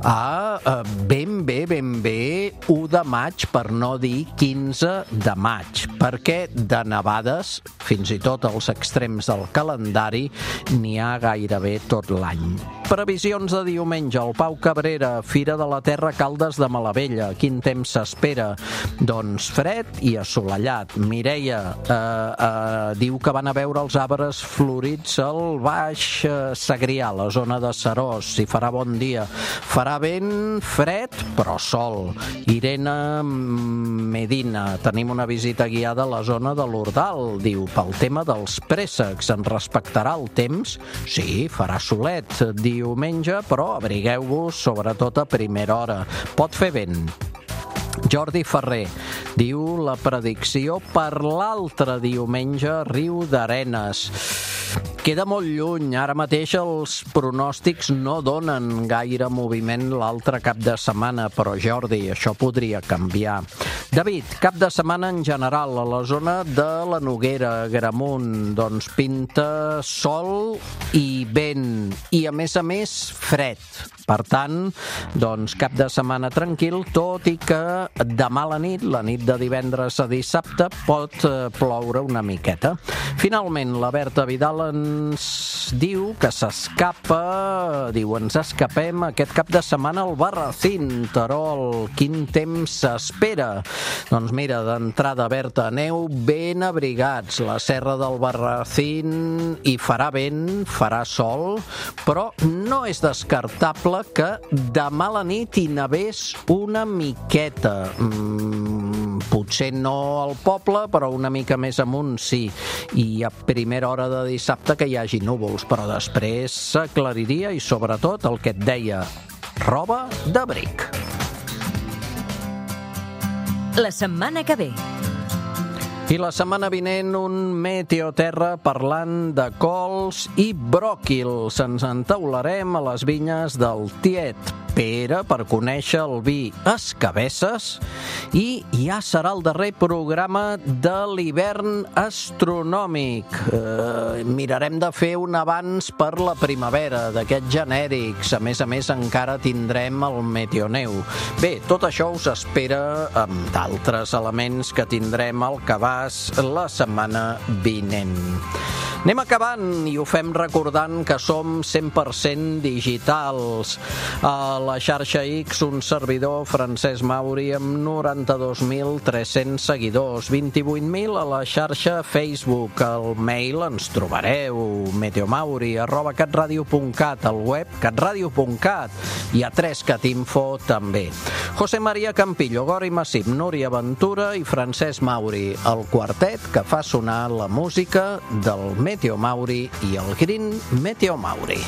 a eh, ben bé, ben bé u de maig, per no dir quinze de maig, perquè de nevades, fins i tot als extrems del calendari, n'hi ha gairebé tot l'any. Previsions de diumenge, al Pau Cabrera, Fira de la Terra, Caldes de Malavella. Quin temps s'espera? Doncs fred i assolellat. Mireia eh, eh, diu que van a veure els arbres florits al Baix eh, Segrià, la zona de Serós. Si farà bon dia. Farà vent, fred, però sol. Irene Medina, tenim una visita guiada a la zona de l'Ordal. Diu, pel tema dels préssecs, en respectarà el temps? Sí, farà solet diumenge, però abrigueu-vos sobretot a primera hora. Pot fer vent. Jordi Ferrer diu la predicció per l'altre diumenge, Riu d'Arenes. Queda molt lluny, ara mateix els pronòstics no donen gaire moviment l'altre cap de setmana, però Jordi, això podria canviar. David, cap de setmana en general a la zona de la Noguera, Gramunt, doncs pinta sol i vent, i a més a més fred. Per tant, doncs cap de setmana tranquil, tot i que demà a la nit, la nit de divendres a dissabte, pot ploure una miqueta. Finalment, la Berta Vidal ens diu que s'escapa, diu, ens escapem aquest cap de setmana al Barracín, Terol. Quin temps s'espera? Doncs mira, d'entrada, Berta, aneu ben abrigats. La serra del Barracín hi farà vent, farà sol, però no és descartable que demà a la nit hi nevés una miqueta. Mm, potser no al poble, però una mica més amunt sí. I a primera hora de dissabte que hi hagi núvols, però després s'aclariria i sobretot el que et deia, roba d'abric. La setmana que ve. I la setmana vinent un Meteoterra parlant de cols i bròquils. Ens entaularem a les vinyes del tiet Pere per conèixer el vi Escabesses, i ja serà el darrer programa de l'hivern astronòmic. Eh, mirarem de fer un abans per la primavera, d'aquests genèrics. A més a més, encara tindrem el Meteoneu. Bé, tot això us espera amb d'altres elements que tindrem al cabàs la setmana vinent. Anem acabant i ho fem recordant que som cent per cent digitals. A la xarxa X, un servidor, Francesc Mauri, amb noranta-dos mil tres-cents seguidors, vint-i-vuit mil a la xarxa Facebook. Al mail ens trobareu, meteomauri arroba catradio punt cat, al web catradio punt cat, i a tres cat info també. José María Campillo, Gori Massip, Núria Ventura i Francesc Mauri, el quartet que fa sonar la música del Meteo Mauri i el Green Meteo Mauri.